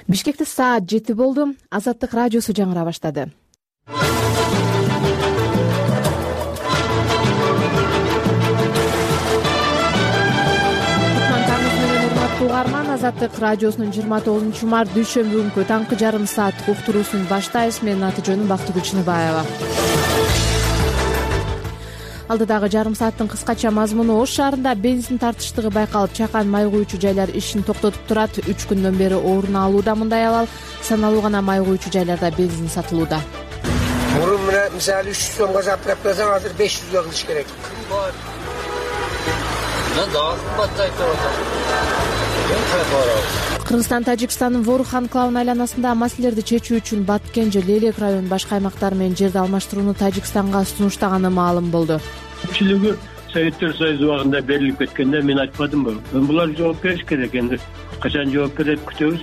Бишкекте саат 7 болду. Азаттык радиосу жаңыра баштады. Угарман, Азаттык радиосунун 29 март дүйшөмбү күнкү таңкы жарым сааттык уктуруусун баштайбыз. Менин аты жөнүм Бактыгүл Чыныбаева. Алдыдагы жарым сааттын кыскача мазмуну: Ош шаарында бензин тартыштыгы байкалып, чакан май куючу жайлар ишин токтотуп турат. 3 күндөн бери орун алууда мындай абал. Саналуу гана май куючу жайларда бензин сатылууда. Мурун мисалы 300 сомго заправка кылсаң, азыр 500га кылыш керек. Кыргызстан Тажикстандын Ворух анклавынын айланасында маселелерди чечүү үчүн Баткенже, Лелек районунун башка аймактары менен жерди алмаштырууну Тажикстанга сунуштаганы маалым болду. Көпчүлүгү Советтер Союзу убагында берилип кеткенде мен айтпадымбы? Булар жооп бериш керек, энди качан жооп берет күтөбүз.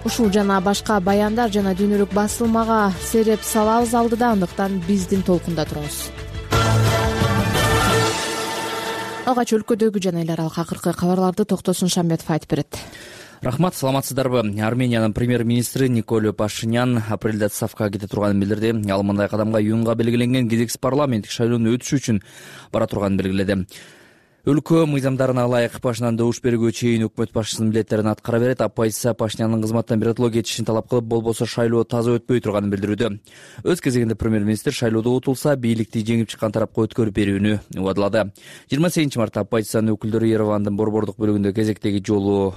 Ушул жана башка баяндар жана дүйнөлүк басылмага сереп салабыз алдыда, андыктан биздин толкунда туруңуз. Алгач өлкөдөгү жана эл аралык акыркы кабарларды Токтосун Шамбетов айтып берет. Рахмат, саламатсыздарбы? Армениянын премьер-министри Николь Пашинян апрелде отставкага кете турганын билдирди. Ал мындай кадамга июнга белгиленген кезексиз парламенттик шайлоонун өтүшү үчүн бара турганын белгиледи. Өлкө мыйзамдарына ылайык Пашиняндан добуш бергенге чейин өкмөт башчысынын милдеттерин аткара берет. Оппозиция Пашинянын кызматтан биротоло кетишин талап кылып, болбосо шайлоо таза өтпөй турганын билдирүүдө. Өз кезегинде премьер-министр шайлоодо утулса, бийликти жеңип чыккан тарапка өткөрүп берүүнү убадалады. 28 мартта оппозициянын өкүлдөрү Еревандын борбордук бөлүгүндө кезектеги жолу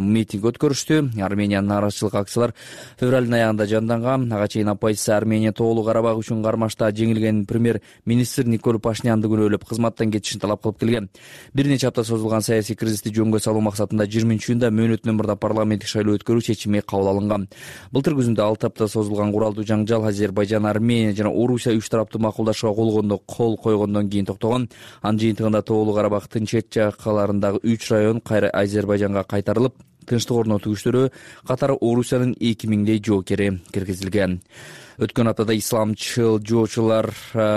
митинг өткөрүштү. Армениянын нааразычылык акциялар февралдын аягында жанданган. Ага чейин оппозиция Армения тоолуу Карабак үчүн кармашта жеңилген премьер-министр Николь Пашинянды күнөөлөп кызматтан кетишин талап кылып келген. Бир нече апта созулган саясий кризисти жөнгө салуу максатында 20-июнда мөөнөтүнөн мурда парламенттик шайлоо өткөрүү чечими кабыл алынган. Былтыр күзүндө 6 апта созулган куралдуу жаңжал Азербайжан, Армения жана Орусия 3 тараптуу макулдашууга кол койгондон кийин токтогон. Анын жыйынтыгында тоолуу Карабактын чет жакаларындагы 3 район кайра Азербайжанга кайтарылып, тынчтык орнотуу күчтөрү катары Орусиянын 2000дей жоокери киргизилген. Өткөн аптада исламчыл жоочулар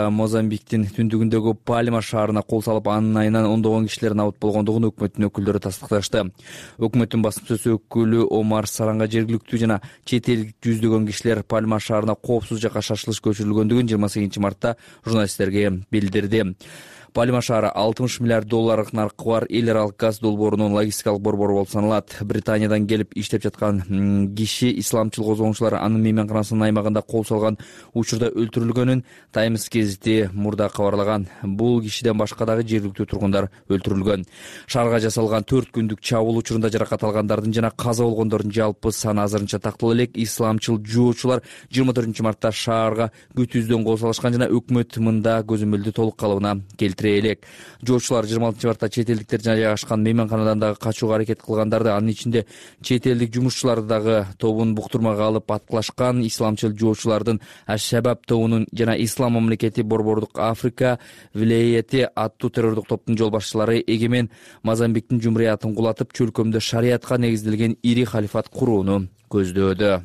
Мозамбиктин түндүгүндөгү Пальма шаарына кол салып, анын айынан ондогон кишилер набыт болгондугун өкмөттүн өкүлдөрү тастыкташты. Өкмөттүн басым сөз өкүлү Омар Саранга жергиликтүү жана чет элдик жүздөгөн кишилер Пальма шаарына коопсуз жакка шашылыш көчүрүлгөндүгүн 28 мартта журналисттерге билдирди. Пальма шаары $60 миллиард наркы бар эл аралык газ долбоорунун логистикалык борбору болуп саналат. Британиядан келип иштеп жаткан киши исламчыл козголгучулар анын мейманканасынын аймагында кол салган учурда өлтүрүлгөнүн Times гезити мурда кабарлаган. Бул кишиден башка дагы жергиликтүү тургундар өлтүрүлгөн. Шаарга жасалган 4 күндүк чабуул учурунда жаракат алгандардын жана каза болгондордун жалпы саны азырынча такталуу элек. Исламчыл жоочулар 24 мартта шаарга күтүүздөн кол салышкан жана өкмөт мында көзөмөлдү толук калыбына келтирди. Жоочулар 26 мартта чет элдиктер жайгашкан мейманканадан дагы качууга аракет кылгандарды, анын ичинде чет элдик жумушчуларды дагы тобун буктурмага алып аткылашкан. Исламчыл жоочулардын Аш-Шабаб тобунун жана Ислам мамлекети борбордук Африка вилаяти аттуу террордук топтун жол башчылары эгемен Мозамбиктин жумриятын кулатып, чөлкөмдө шариятка негизделген ири халифат курууну көздөөдө.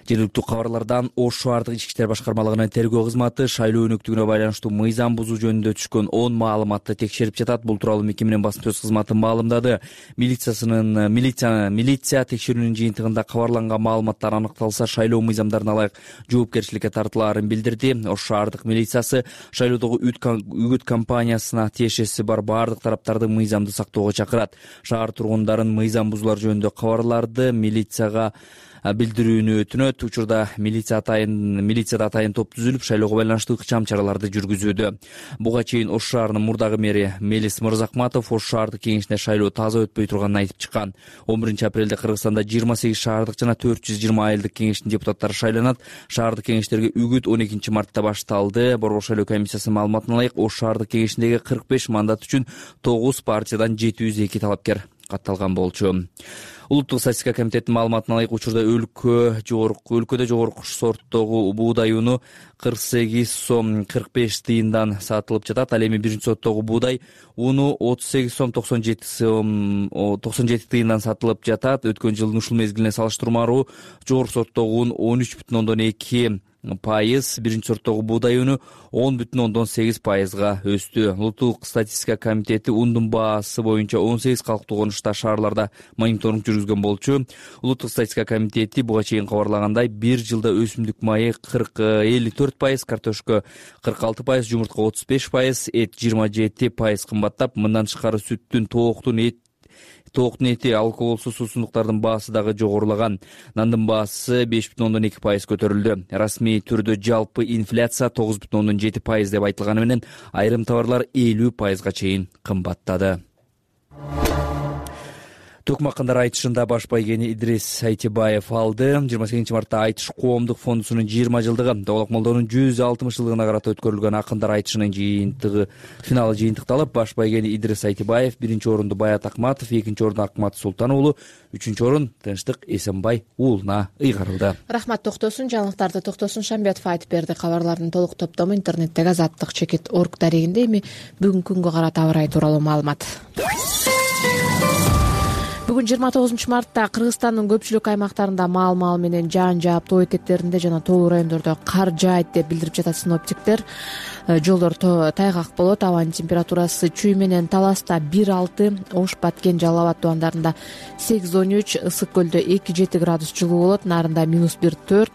Жергиликтүү кабарлардан Ош шаардык ички иштер башкармалыгынын тергөө кызматы шайлоо өнөктүгүнө байланыштуу мыйзам бузуу жөнүндө түшкөн 10 маалыматты текшерип жатат. Бул тууралуу мекеменин басым сөз кызматы маалымдады. Милиция текшерүүнүн жыйынтыгында кабарланган маалыматтар аныкталса, шайлоо мыйзамдарына ылайык жоопкерчиликке тартылаарын билдирди. Ош шаардык милициясы шайлоодогу үгүт кампаниясына тиешеси бар бардык тараптарды мыйзамды сактоого чакырат. Шаар тургундарын мыйзам бузуулар жөнүндө кабарларды милицияга билдирүүнү өтүнөт. Учурда милицияда атайын топ түзүлүп, шайлоого байланыштуу ыкчам чараларды жүргүзүүдө. Буга чейин Ош шаарынын мурдагы мэри Мелис Мырзахматов Ош шаардык кеңешинде шайлоо таза өтпөй турганын айтып чыккан. 11 апрелде Кыргызстанда 28 шаардык жана 420 айылдык кеңештин депутаттары шайланат. Шаардык кеңештерге үгүт 12 мартта башталды. Борбор шайлоо комиссиясынын маалыматына ылайык, Ош шаардык кеңешиндеги 45 мандат үчүн 9 партиядан 702 талапкер катталган болчу. Улуттук статистика комитетинин маалыматына ылайык, учурда өлкөдө жогорку сорттогу буудай уну 48 сом 45 тыйындан сатылып жатат. Ал эми биринчи сорттогу буудай уну 38 сом 97 тыйындан сатылып жатат. Өткөн жылдын ушул мезгилине салыштырмалуу жогорку сорттогу un 13,2 биринчи сорттогу буудай үнү 10,8% өстү. Улуттук статистика комитети ундун баасы боюнча 18 калктуу конушта шаарларда мониторинг жүргүзгөн болчу. Улуттук статистика комитети буга чейин кабарлагандай, бир жылда өсүмдүк майы 54%, картошка 46%, жумуртка 35%, эт 27% кымбаттап, мындан тышкары сүттүн, тооктун эти, алкоголсуз суусундуктардын баасы дагы жогорулаган. Нандын баасы 5,2% көтөрүлдү. Расмий түрдө жалпы инфляция 9,7% деп айтылганы менен айрым товарлар 50%га чейин кымбаттады. Токмак-Кандар айтышында баш байгени Идрис Айтибаев алды. 28 мартта Айтыш коомдук фондусунун 20 жылдыгы, Доболок Молдонун 160 жылдыгына карата өткөрүлгөн акындар айтышынын финалы жыйынтыкталып, баш байгени Идрис Айтибаев, биринчи орунду Баят Акматов, экинчи орунду Акмат Султан уулу, үчүнчү орун Тынчтык Эсенбай уулуна ыйгарылды. Рахмат токтосун, жаңылыктарды Токтосун Шамбетов айтып берди. Кабарлардын толук топтому интернеттеги azattik.org дарегинде. Эми бүгүнкү күнгө карата аба ырайы тууралуу маалымат. Бүгүн 29 мартта Кыргызстандын көпчүлүк аймактарында маал менен жаан жаап, тоо этектеринде жана тоолуу райондордо кар жаайт деп билдирип жатат синоптиктер. Жолдор тайгак болот. Абанын температурасы Чүй менен Таласта 1,6, Ош, Баткен, Жалал Абад тубандарында 8,13, Ысык көлдө 2,7 градус жылуу болот. Нарында -1,4,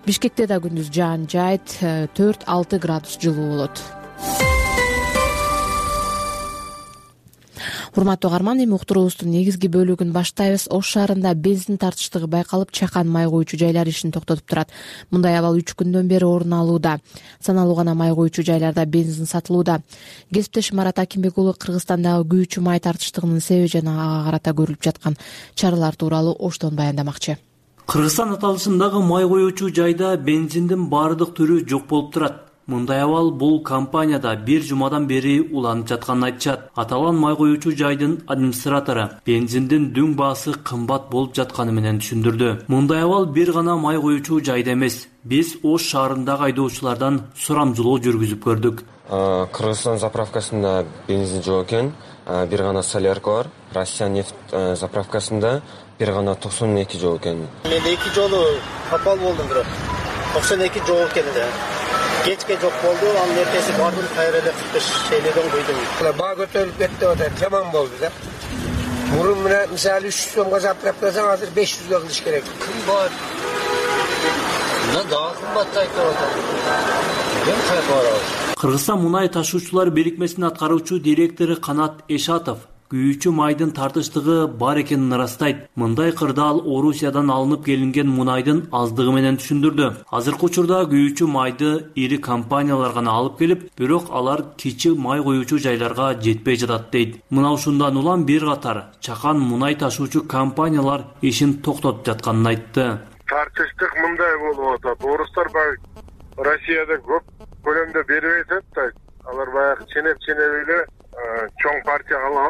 Бишкекте да күндүз жаан жаайт, 4,6 градус жылуу болот. Урматтуу угарман, эми уктуруубуздун негизги бөлүгүн баштайбыз. Ош шаарында бензин тартыштыгы байкалып, чакан май куючу жайлар ишин токтотуп турат. Мындай абал 3 күндөн бери орун алууда. Саналуу гана май куючу жайларда бензин сатылууда. Кесиптешим Марат Акимбек уулу Кыргызстандагы күйүүчү май тартыштыгынын себеби жана ага карата көрүлүп жаткан чаралар тууралуу Оштон баяндамакчы. Кыргызстан аталышындагы май куючу жайда бензиндин баардык түрү жок болуп турат. Мындай абал бул компанияда бир жумадан бери уланып жатканын айтышат. Аталган май куючу жайдын администратору бензиндин дүң баасы кымбат болуп жатканы менен түшүндүрдү. Мындай абал бир гана май куючу жайда эмес. Биз Ош шаарындагы айдоочулардан сурамжылоо жүргүзүп көрдүк. Кыргызстан заправкасында бензин жок экен. Бир гана солярка бар. Россия нефть заправкасында бир гана 92 жок экен. Мен 2 жолу капал болдум, бирок 92 жок экен да. Кечке жок болду, анын эртеси бардым, кайра эле 45 эледен куйдум. Баа көтөрүлүп кетти атат, жаман болду да. Мурун мына мисалы 300 сомго заправкасаң, азыр 500га кылыш керек. Кымбат. Мына дагы кымбаттайт деп атат. Мен кайга барабыз? Кыргызстан мунай ташуучулар бирикмесинин аткаруучу директору Канат Эшатов күйүүчү майдын тартыштыгы бар экенин ырастайт. Мындай кырдаал Орусиядан алынып келинген мунайдын аздыгы менен түшүндүрдү. Азыркы учурда күйүүчү майды ири компаниялар гана алып келип, бирок алар кичи май куючу жайларга жетпей жатат дейт. Мына ушундан улам бир катар чакан мунай ташуучу компаниялар ишин токтотуп жатканын айтты. Тартыштык мындай болуп атат. Орустар баягы Россияда көп көлөмдө бербей атат да. Алар баягы ченеп эле чоң партияга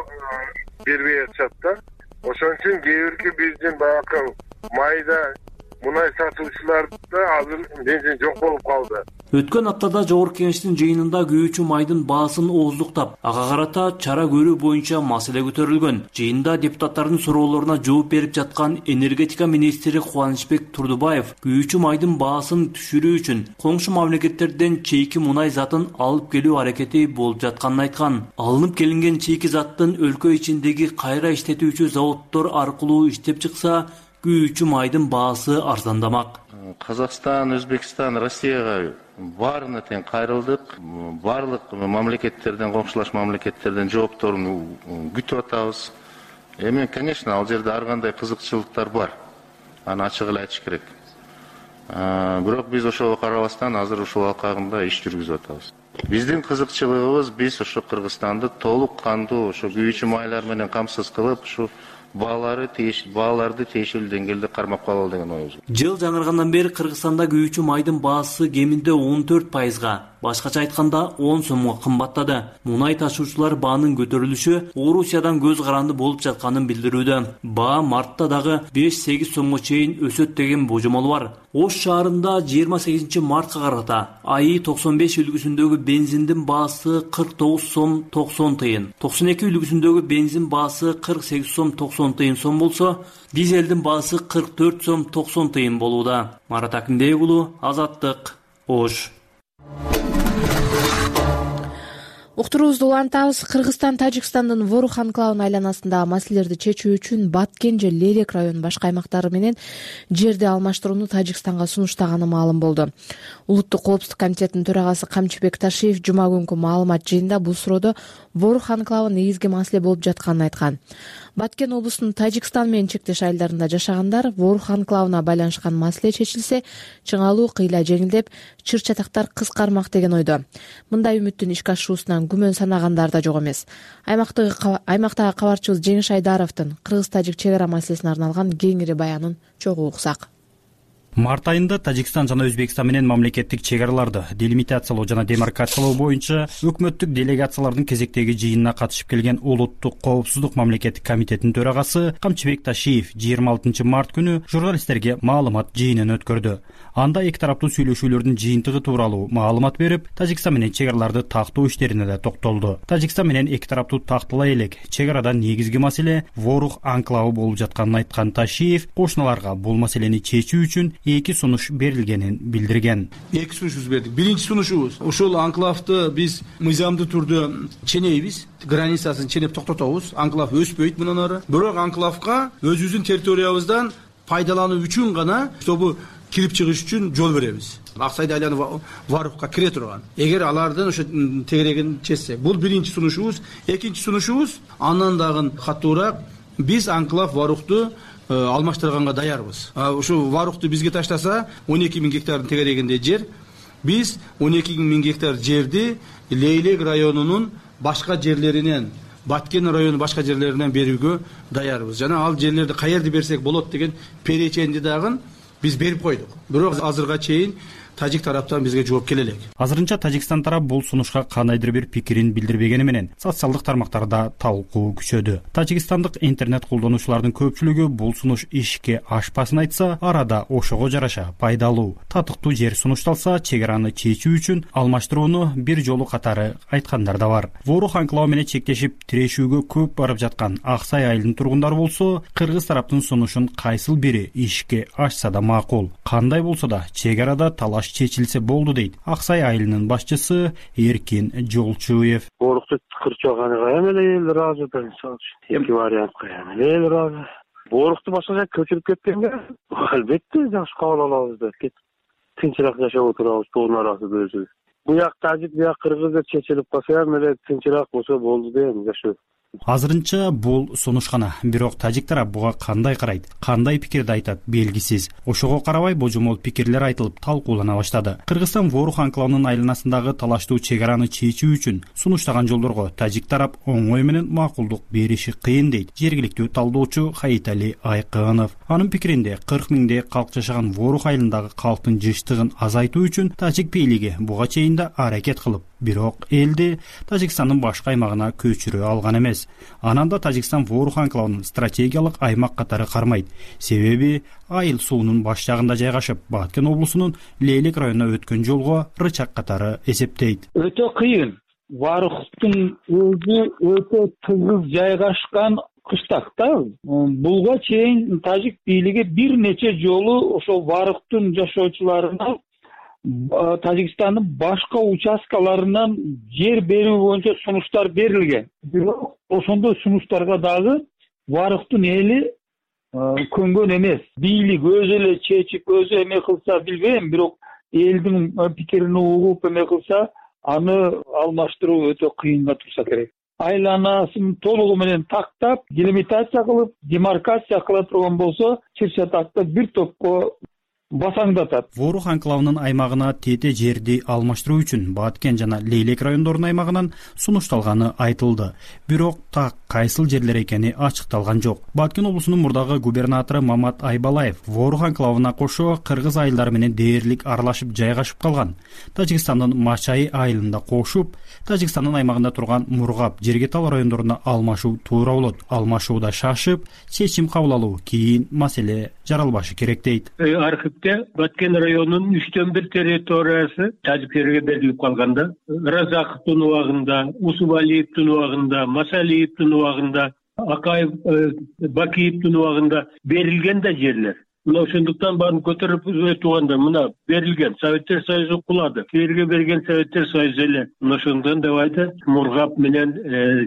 бербей атышат да. Ошон үчүн кээ бирки биздин баягы майда мунай сатуучуларда азыр бензин жок болуп калды. Өткөн аптада Жогорку Кеңештин жыйынында күйүүчү майдын баасын ооздуктап, ага карата чара көрүү боюнча маселе көтөрүлгөн. Жыйында депутаттардын суроолоруна жооп берип жаткан энергетика министри Кубанычбек Турдубаев күйүүчү майдын баасын түшүрүү үчүн коңшу мамлекеттерден чейки мунай затын алып келүү аракети болуп жатканын айткан. Алынып келинген чейки заттын өлкө ичиндеги кайра иштетүүчү заводдор аркылуу иштеп чыкса, күйүүчү майдын баасы арзандамак. Казакстан, Өзбекстан, Россияга баарына тең кайрылдык. Барлык мамлекеттерден, коңшулаш мамлекеттерден жоопторун күтүп атабыз. Эми, конечно, ал жерде ар кандай кызыкчылыктар бар. Аны ачык эле айтыш керек. Бирок биз ошого карабастан азыр ушул алкагында иш жүргүзүп атабыз. Биздин кызыкчылыгыбыз биз ошо Кыргызстанды толук кандуу ошо күйүүчү майлар менен камсыз кылып, ушу бааларды тиешелүү деңгээлде кармап калалы деген оюбуз. Жыл жаңыргандан бери Кыргызстанда күйүүчү майдын баасы кеминде 14%, башкача айтканда 10 сомго кымбаттады. Мунай ташуучулар баанын көтөрүлүшү Орусиядан көз каранды болуп жатканын билдирүүдө. Баа мартта дагы 5-8 сомго чейин өсөт деген божомол бар. Ош шаарында 28 мартка карата АИ 95 үлгүсүндөгү бензиндин баасы 49 сом 90 тыйын, 92 үлгүсүндөгү бензин баасы 48 сом 90 тыйын сом болсо, дизелдин баасы 44 сом 90 тыйын болууда. Марат Акимбек уулу, Азаттык, Ош. Уктуруубузду улантабыз. Кыргызстан Тажикстандын Ворух анклавынын айланасындагы маселелерди чечүү үчүн Баткен же Лейлек районунун башка аймактары менен жерди алмаштырууну Тажикстанга сунуштаганы маалым болду. Улуттук коопсуздук комитетинин төрагасы Камчыбек Ташиев жума күнкү маалымат жыйынында бул суроодо Ворух анклавы негизги маселе болуп жатканын айткан. Баткен облусунун Тажикстан менен чектеш айылдарында жашагандар Ворух анклавына байланышкан маселе чечилсе, чыңалуу кыйла жеңилдеп, чыр-чатактар кыскармак деген ойдо. Мындай үмүттүн ишке ашуусунан күмөн санагандар да жок эмес. Аймактагы кабарчыбыз Жеңиш Айдаровдун кыргыз-тажик чек ара маселесине арналган кеңири баянын чогуу уксак. Март айында Тажикстан жана Өзбекстан менен мамлекеттик чек араларды делимитациялоо жана демаркациялоо боюнча өкмөттүк делегациялардын кезектеги жыйынына катышып келген Улуттук коопсуздук мамлекеттик комитетинин төрагасы Камчыбек Ташиев 26 март күнү журналисттерге маалымат жыйынын өткөрдү. Анда эки тараптуу сүйлөшүүлөрдүн жыйынтыгы тууралуу маалымат берип, Тажикстан менен чек араларды тактоо иштерине да токтолду. Тажикстан менен эки тараптуу такталай элек чек арада негизги маселе Ворух анклавы болуп жатканын айткан Ташиев кошуналарга бул маселени чечүү үчүн эки сунуш берилгенин билдирген. Эки сунушубуз бердик. Биринчи сунушубуз ошол анклавды биз мыйзамдуу түрдө ченейбиз, границасын ченеп токтотобуз. Анклав өспөйт мындан ары. Бирок анклавга өзүбүздүн территориябыздан пайдалануу үчүн гана чтобы кирип чыгыш үчүн жол беребиз. Аксайды айланып Варухка кире турган. Эгер алардын ошо тегерегин чечсек, бул биринчи сунушубуз. Экинчи сунушубуз андан дагы катуураак, биз анклав Варухту алмаштырганга даярбыз. Ошо Варухту бизге таштаса 12 000 гектардын тегерегинде жер. Биз 12 000 гектар жерди Лейлек районунун башка жерлеринен, Баткен районунун башка жерлеринен берүүгө даярбыз. Жана ал жерлерди каерде берсек болот деген переченди дагы биз берип койдук. Бирок азырга чейин тажик тараптан бизге жооп келе элек. Азырынча Тажикстан тарап бул сунушка кандайдыр бир пикирин билдирбегени менен социалдык тармактарда талкуу күчөдү. Тажикстандык интернет колдонуучулардын көпчүлүгү бул сунуш ишке ашпасын айтса, арада ошого жараша пайдалуу, татыктуу жер сунушталса, чек араны чечүү үчүн алмаштырууну бир жолу катары айткандар да бар. Ворух анклавы менен чектешип тирешүүгө көп барып жаткан Аксай айылынын тургундары болсо, кыргыз тараптын сунушун кайсыл бири ишке ашса да макул. Кандай болсо да чек арада талаш чечилсе болду дейт Аксай айылынын башчысы Эркин Жолчуев. Борухту кырчаганга эми эл ыраазы да эки вариантка эл ыраазы. Борухту башка жака көчүрүп кеткенге албетте жакшы кабыл алабыз да тынчыраак жашап отурабыз, тоонун арасында өзүбүз. Буяк тажик, буяк кыргыз деп чечилип калса эми тынчыраак болсо болду дейм жашоо. Азырынча бул сунуш гана, бирок тажик тарап буга кандай карайт, кандай пикирди айтат белгисиз. Ошого карабай божомол пикирлер айтылып талкуулана баштады. Кыргызстан Ворух анклавынын айланасындагы талаштуу чек араны чечүү үчүн сунуштаган жолдорго тажик тарап оңой менен макулдук бериши кыйын дейт жергиликтүү талдоочу Хаитали Айкынов. Анын пикиринде 40 000 калк жашаган Ворух айылындагы калктын жыштыгын азайтуу үчүн тажик бийлиги буга чейин да аракет кылып, бирок элди Тажикстандын башка аймагына көчүрө алган эмес. Ананда Тажикстан Ворух анклавынын стратегиялык аймак катары кармайт. Себеби айыл суунун баш жагында жайгашып, Баткен облусунун Лейлек районуна өткөн жолго рычак катары эсептейт. Өтө кыйын. Варухтун өзү өтө тыгыз жайгашкан кыштакта. Буга чейин тажик бийлиги бир нече жолу ошо Варухтун жашоочуларына Тажикстандын башка участкаларынан жер берүү боюнча сунуштар берилген. Бирок ошондой сунуштарга дагы Варухтун эли көнгөн эмес. Бийлик өзү эле чечип, өзү эме кылса билбейм, бирок элдин пикирин угуп эме кылса, аны алмаштыруу өтө кыйынга турса керек. Айланасын толугу менен тактап, делимитация кылып, демаркация кыла турган болсо, чыр-чатакты бир топко басаңдатат. Ворух анклавынын аймагына тете жерди алмаштыруу үчүн Баткен жана Лейлек райондорунун аймагынан сунушталганы айтылды. Бирок так кайсыл жерлер экени ачыкталган жок. Баткен облусунун мурдагы губернатору Мамат Айбалаев Ворух анклавына кошо кыргыз айылдары менен дээрлик аралашып жайгашып калган. Тажикстандын Мачай айылында кошуп, Тажикстандын аймагында турган Мургап, Жергетал райондоруна алмашуу туура болот. Алмашууда шашып, чечим кабыл алуу кийин маселе жаралбашы керек дейт. Баткен районунун 3/1 территориясы тажиктерге берилип калганда, Разаковдун убагында, Усубалиевдин убагында, Масалиевдин убагында, Акаев, Бакиевдин убагында берилген да жерлер. мына ошондуктан баарын көтөрүп турганда мына берилген Советтер Союзу кулады, кээерге берген Советтер Союзу эле. Мына ошондон деп айтат, Мургап менен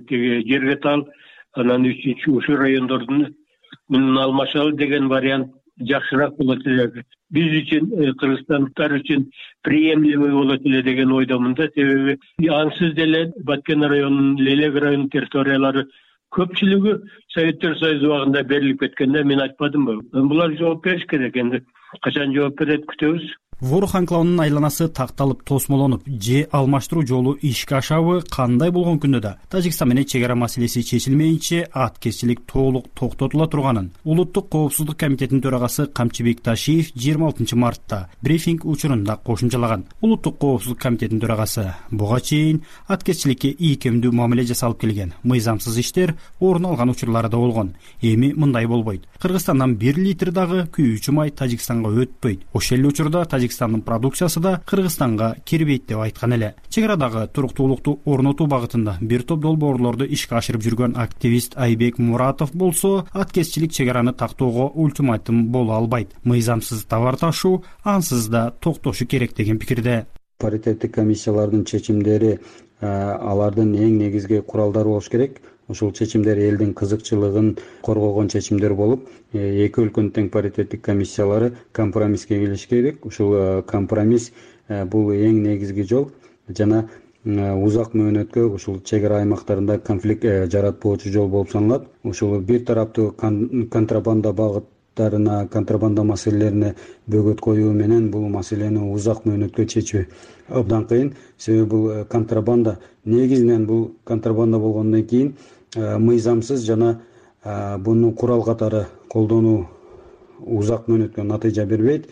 тиги Жергетал анан 3 райондордун менен алмашалы деген вариант жакшыраак болот эле. Биз үчүн, кыргызстандыктар үчүн приемлемый болот эле деген ойдомун да. Себеби ансыз деле Баткен районунун, Лелек районунун территориялары көпчүлүгү Советтер Союзу убагында берилип кеткенде мен айтпадымбы? Булар жооп бериш керек. Энди качан жооп берет күтөбүз. Ворух анклавынын айланасы такталып тосмолонуп же алмаштыруу жолу ишке ашабы кандай болгон күндө да Тажикстан менен чек ара маселеси чечилмейинче аткезчилик толук токтотула турганын Улуттук коопсуздук комитетинин төрагасы Камчыбек Ташиев 26 мартта брифинг учурунда кошумчалаган. Улуттук коопсуздук комитетинин төрагасы буга чейин аткезчиликке ийкемдүү мамиле жасалып келген, мыйзамсыз иштер орун алган учурлары да болгон. Эми мындай болбойт. Кыргызстандан 1 литр дагы күйүүчү май Тажикстанга өтпөйт. Ошол эле учурда Тажикстандын продукциясы да Кыргызстанга кирбейт деп айткан эле. Чек арадагы туруктуулукту орнотуу багытында бир топ долбоорлорду ишке ашырып жүргөн активист Айбек Муратов болсо, аткезчилик чек араны тактоого ультиматум боло албайт. Мыйзамсыз товар ташуу ансыз да токтошу керек деген пикирде. Паритеттик комиссиялардын чечимдери алардын эң негизги куралдары болуш керек. Ушул чечимдер элдин кызыкчылыгын коргогон чечимдер болуп, эки өлкөнүн тең паритеттик комиссиялары компромисске келиш керек. Ушул компромисс бул эң негизги жол жана узак мөөнөткө ушул чек ара аймактарында конфликт жаратпоочу жол болуп саналат. Ушул бир тараптуу контрабанда багыттарына, контрабанда маселелерине бөгөт коюу менен бул маселени узак мөөнөткө чечүү абдан кыйын. Себеби бул контрабанда, негизинен бул контрабанда болгондон кийин мыйзамсыз жана буну курал катары колдонуу узак мөөнөткө натыйжа бербейт.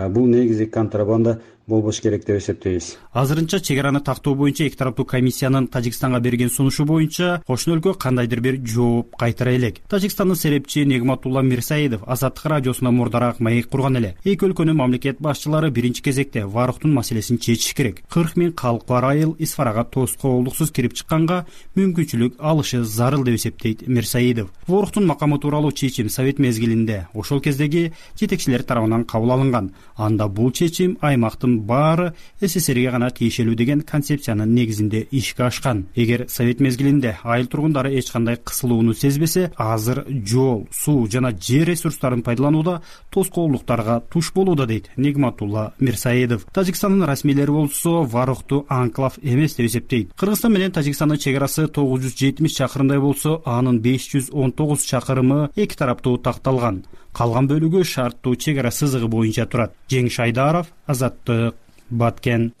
Бул негизи контрабанда болбош керек деп эсептейбиз. Азырынча чек араны тактоо боюнча эки тараптуу комиссиянын Тажикстанга берген сунушу боюнча кошуна өлкө кандайдыр бир жооп кайтара элек. Тажикстандын серепчи Негматулла Мирсаидов Азаттык радиосуна мурдараак маек курган эле. Эки өлкөнүн мамлекет башчылары биринчи кезекте Варухтун маселесин чечиш керек. 40 000 калк бар айыл Исфарага тоскоолдуксуз кирип чыкканга мүмкүнчүлүк алышы зарыл деп эсептейт Мирсаидов. Варухтун макамы тууралуу чечим Совет мезгилинде ошол кездеги жетекчилер тарабынан кабыл алынган. Анда бул чечим аймактын баары СССРге гана тиешелүү деген концепциянын негизинде ишке ашкан. Эгер Совет мезгилинде айыл тургундары эч кандай кысылууну сезбесе, азыр жол, суу жана жер ресурстарын пайдаланууда тоскоолдуктарга туш болууда дейт Негматулла Мирсаидов. Тажикстандын расмийлери болсо Варухту анклав эмес деп эсептейт. Кыргызстан менен Тажикстандын чек арасы 970 чакырымдай болсо, анын 519 чакырымы эки тараптуу такталган. Калган бөлүгү шарттуу чек ара сызыгы боюнча турат. Жеңиш Айдаров, Азаттык, Баткен.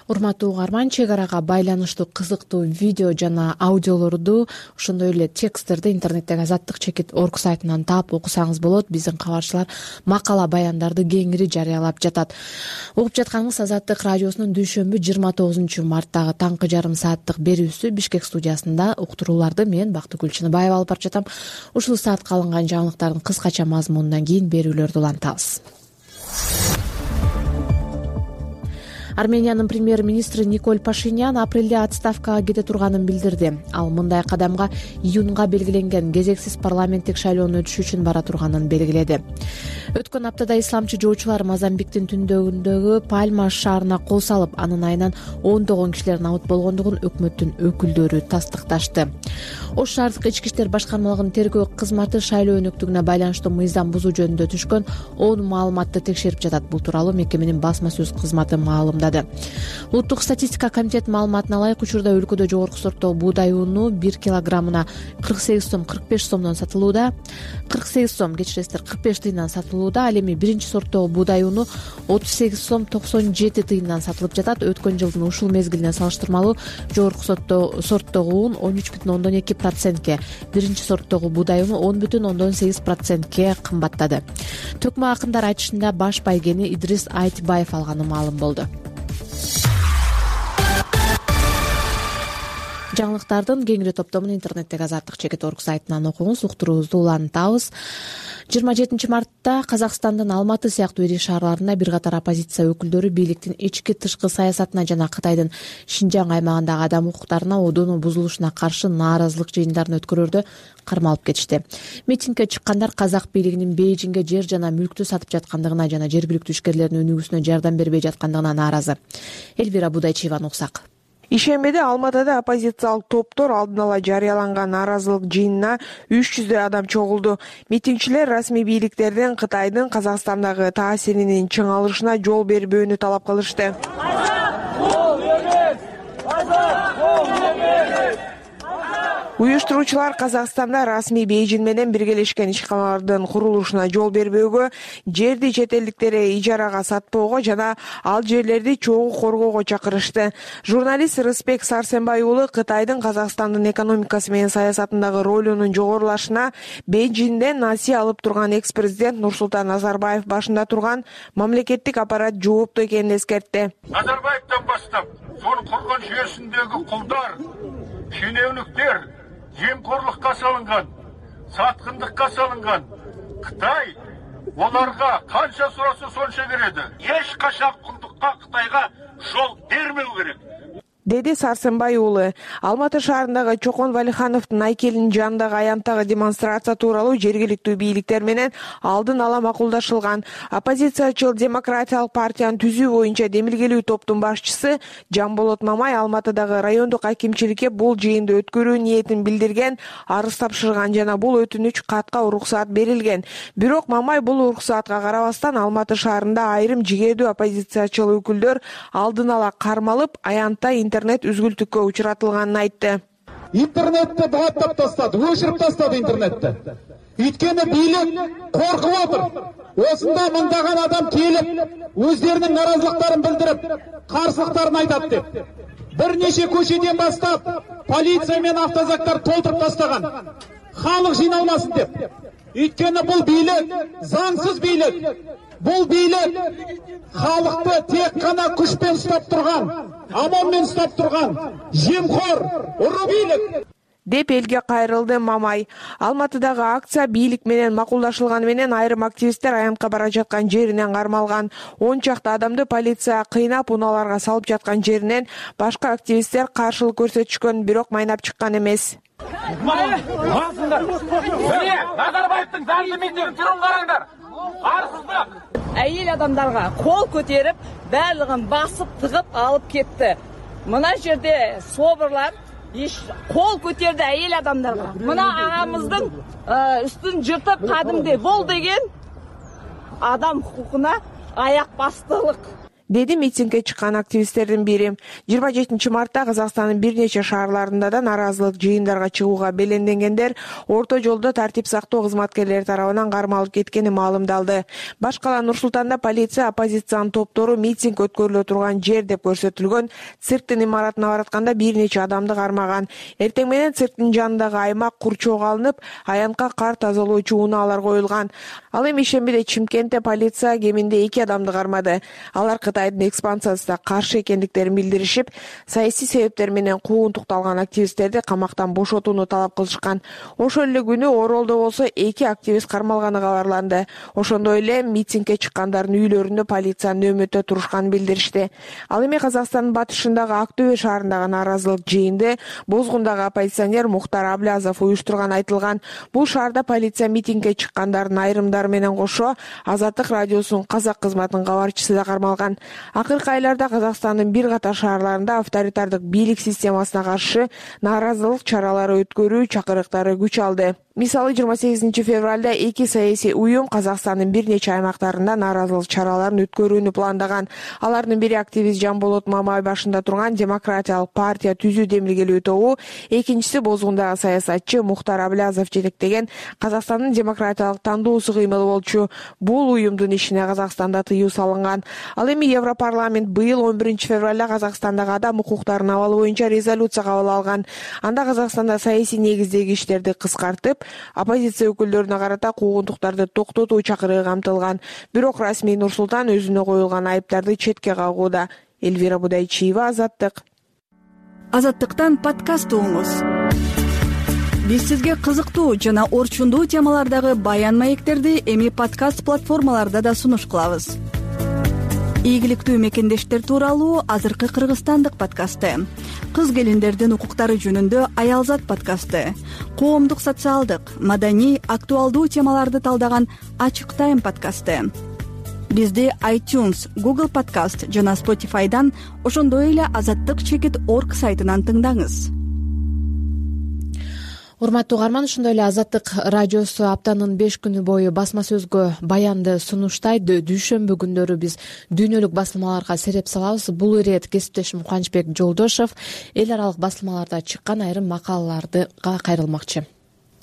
Урматтуу угарман, чек арага байланыштуу кызыктуу видео жана аудиолорду, ошондой эле тексттерди интернеттеги Азаттык.org сайтынан таап окусаңыз болот. Биздин кабарчылар макала баяндарды кеңири жарыялап жатат. Угуп жатканыңыз Азаттык радиосунун дүйшөмбү 29 марттагы таңкы жарым сааттык берүүсү. Бишкек студиясында уктурууларды мен Бактыгүл Чыныбаева алып барып жатам. Ушул саатка алынган жаңылыктардын кыскача мазмунунан кийин берүүлөрдү улантабыз. Армениянын премьер-министри Николь Пашинян апрелде отставкага кете турганын билдирди. Ал мындай кадамга июнга белгиленген кезексиз парламенттик шайлоонун өтүшү үчүн бара турганын белгиледи. Өткөн аптада исламчы жоочулар Мозамбиктин түндөгүндөгү Пальма шаарына кол салып, анын айынан ондогон кишилер набыт болгондугун өкмөттүн өкүлдөрү тастыкташты. Ош шаардык ички иштер башкармалыгынын тергөө кызматы шайлоо өнөктүгүнө байланыштуу мыйзам бузуу жөнүндө түшкөн 10 маалыматты текшерип жатат. Бул тууралуу мекеменин басма сөз кызматы маалымдады. Улуттук статистика комитетинин маалыматына ылайык, учурда өлкөдө жогорку сорттогу буудай уну 1 килограммына 48 сом 45 сомдон сатылууда. 48 сом, кечиресиздер, 45 тыйындан сатылууда. Ал эми биринчи сорттогу буудай уну 38 сом 97 тыйындан сатылып жатат. Өткөн жылдын ушул мезгилине салыштырмалуу жогорку сорттогу ун 13,2%, биринчи сорттогу буудай уну 10,8%ке кымбаттады. Төкмө акындар айтышында баш байгени Идрис Айтбаев алганы маалым болду. Жаңылыктардын кеңири топтомун интернеттеги azatlyk.org сайтынан окуңуз. Уктуруубузду улантабыз. 27 мартта Казакстандын Алматы сыяктуу ири шаарларында бир катар оппозиция өкүлдөрү бийликтин ички-тышкы саясатына жана Кытайдын Шинжаң аймагындагы адам укуктарына одоонун бузулушуна каршы нааразылык жыйындарын өткөрүүдө кармалып кетишти. Митингге чыккандар казак бийлигинин Бейжиңге жер жана мүлктү сатып жаткандыгына жана жергиликтүү ишкерлердин өнүгүүсүнө жардам бербей жаткандыгына нааразы. Элвира Будайчиеваны уксак. Ишембиде Алматыда оппозициялык топтор алдын ала жарыяланган нааразылык жыйынына 300 адам чогулду. Митингчилер расмий бийликтердин Кытайдын Казакстандагы таасиринин чыңалышына жол бербөөнү талап кылышты. Уюштуруучулар Казакстанда расмий Бейжиң менен биргелешкен ишканалардын курулушуна жол бербөөгө, жерди чет элдиктерге ижарага сатпоого жана ал жерлерди чогуу коргоого чакырышты. Журналист Рыспек Сарсенбай уулу Кытайдын Казакстандын экономикасы менен саясатындагы ролунун жогорулашына Бейжиңден насыя алып турган экс-президент Нурсултан Назарбаев башында турган мамлекеттик аппарат жооптуу экенин эскертти. Назарбаевден баштап, сонун курган жүйөсүндөгү кулдар, шенеунүктөр, жемкорлукка салынган, саткындыкка салынган Кытай оларга канча сураса сонча береді. Эч качан кулдукка Кытайга жол бермеу керек. Деди Сарсенбай уулу. Алматы шаарындагы Чокон Валихановдун айкелинин жанындагы аянттагы демонстрация тууралуу жергиликтүү бийликтер менен алдын ала макулдашылган. Оппозициячыл Демократиялык партиянын түзүү боюнча демилгелүү топтун башчысы Жамболот Мамай Алматыдагы райондук акимчиликке бул жыйынды өткөрүү ниетин билдирген, арыз тапшырган жана бул өтүнүч катка уруксаат берилген. Бирок Мамай бул уруксаатка карабастан Алматы шаарында айрым жигердүү оппозициячыл өкүлдөр алдын ала кармалып, аянтта интернет үзгүлтүккө учуратылганын айтты. Интернетти багаттап тастады, өчүрүп тастады интернетти. Үйткөнү бийлик коркуп отур. Осунда мыңдаган адам келип, өздеринин наразылыктарын билдирип, каршылыктарын айтат деп. Бир нече көчөдөн баштап полиция менен автозактар толтуруп тастаган. Халык жыйналмасын деп. Үйткөнү бул бийлик заңсыз бийлик. Бул бийлик халыкты тек гана күчпен уштап турган, аманмен уштап турган, жемхор, уру бийлик деп элге кайрылды Мамай. Алматыдагы акция бийлик менен макулдашылганы менен айрым активисттер аянтка бара жаткан жеринен кармалган. 10 чакты адамды полиция кыйнап, унааларга салып жаткан жеринен башка активисттер каршылык көрсөтүшкөн, бирок майнап чыккан эмес. Назарбаевдин заңды митингин түрүн караңдар. Арсыздык. Әйел адамдарга кол көтерип, барлыгын басып, тыгып алып кетти. Мына жерде собурлар кол көтерди әйел адамдарга. Мына агамыздын үстүн жыртып кадимди бол деген адам хукукуна аяк бастылык. Деди митингге чыккан активисттердин бири. 27 мартта Казакстандын бир нече шаарларында да нааразылык жыйындарга чыгууга беленденгендер орто жолдо тартип сактоо кызматкерлери тарабынан кармалып кеткени маалымдалды. Башкала Нур-Султанда полиция оппозициянын топтору митинг өткөрүлө турган жер деп көрсөтүлгөн цирктин имаратына баратканда бир нече адамды кармаган. Эртең менен цирктин жанындагы аймак курчоого алынып, аянтка кар тазалоочу унаалар коюлган. Ал эми ишембиде Чимкентте полиция кеминде 2 адамды кармады. Алар Кытайдын экспансиясына каршы экендиктерин билдиришип, саясий себептер менен куугунтукталган активисттерди камактан бошотууну талап кылышкан. Ошол эле күнү Оролдо болсо 2 активист кармалганы кабарланды. Ошондой эле митингге чыккандардын үйлөрүндө полиция нөөмөттө турушканын билдиришти. Ал эми Казакстандын батышындагы Актөбө шаарындагы нааразылык жыйынды Бозгундагы оппозиционер Мухтар Аблязов уюштурган айтылган. Бул шаарда полиция митингге чыккандардын айрымдары менен кошо Азаттык радиосунун казак кызматынын кабарчысы да кармалган. Акыркы айларда Казакстандын бир катар шаарларында авторитардык бийлик системасына каршы нааразылык чаралары өткөрүү чакырыктары күч алды. Мисалы 28 февралда 2 саясий уюм Казакстандын бир нече аймактарында нааразылык чараларын өткөрүүнү пландаган. Алардын бири активист Жамболот Мамай башында турган Демократиялык партия түзүү демилгелүү тобу, экинчиси Бозгундагы саясатчы Мухтар Аблязов жетектеген Казакстандын демократиялык тандоосу кыймыл болчу. Бул уюмдун ишине Казакстанда тыюу салынган. Ал эми Европарламент быйыл 11 февралда Казакстандагы адам укуктарынын абалы боюнча резолюция кабыл алган. Анда Казакстанда саясий негиздеги иштерди кыскартып, оппозиция өкүлдөрүнө карата куугунтуктарды токтотуу чакырыгы камтылган. Бирок расмий Нур-Султан өзүнө коюлган айыптарды четке кагууда. Элвира Будайчиева, Азаттык. Азаттыктан подкаст угуңуз. Биз сизге кызыктуу жана орчундуу темалардагы баян маектерди эми подкаст платформаларда да сунуш кылабыз. Ийгиликтүү мекендештер тууралуу азыркы кыргызстандык подкасты, кыз келиндердин укуктары жөнүндө Аялзат подкасты, коомдук социалдык, маданий, актуалдуу темаларды талдаган Ачык Тайм подкасты. Бизди iTunes, Google Podcast жана Spotify'дан, ошондой эле azattyk.org сайтынан тыңдаңыз. Урматтуу угарман, ошондой эле Азаттык радиосу аптанын 5 күнү бою басма сөзгө баянды сунуштайт. Дүйшөмбү күндөрү биз дүйнөлүк басылмаларга сереп салабыз. Бул ирет кесиптешим Кубанычбек Жолдошов эл аралык басылмаларда чыккан айрым макалаларга кайрылмакчы.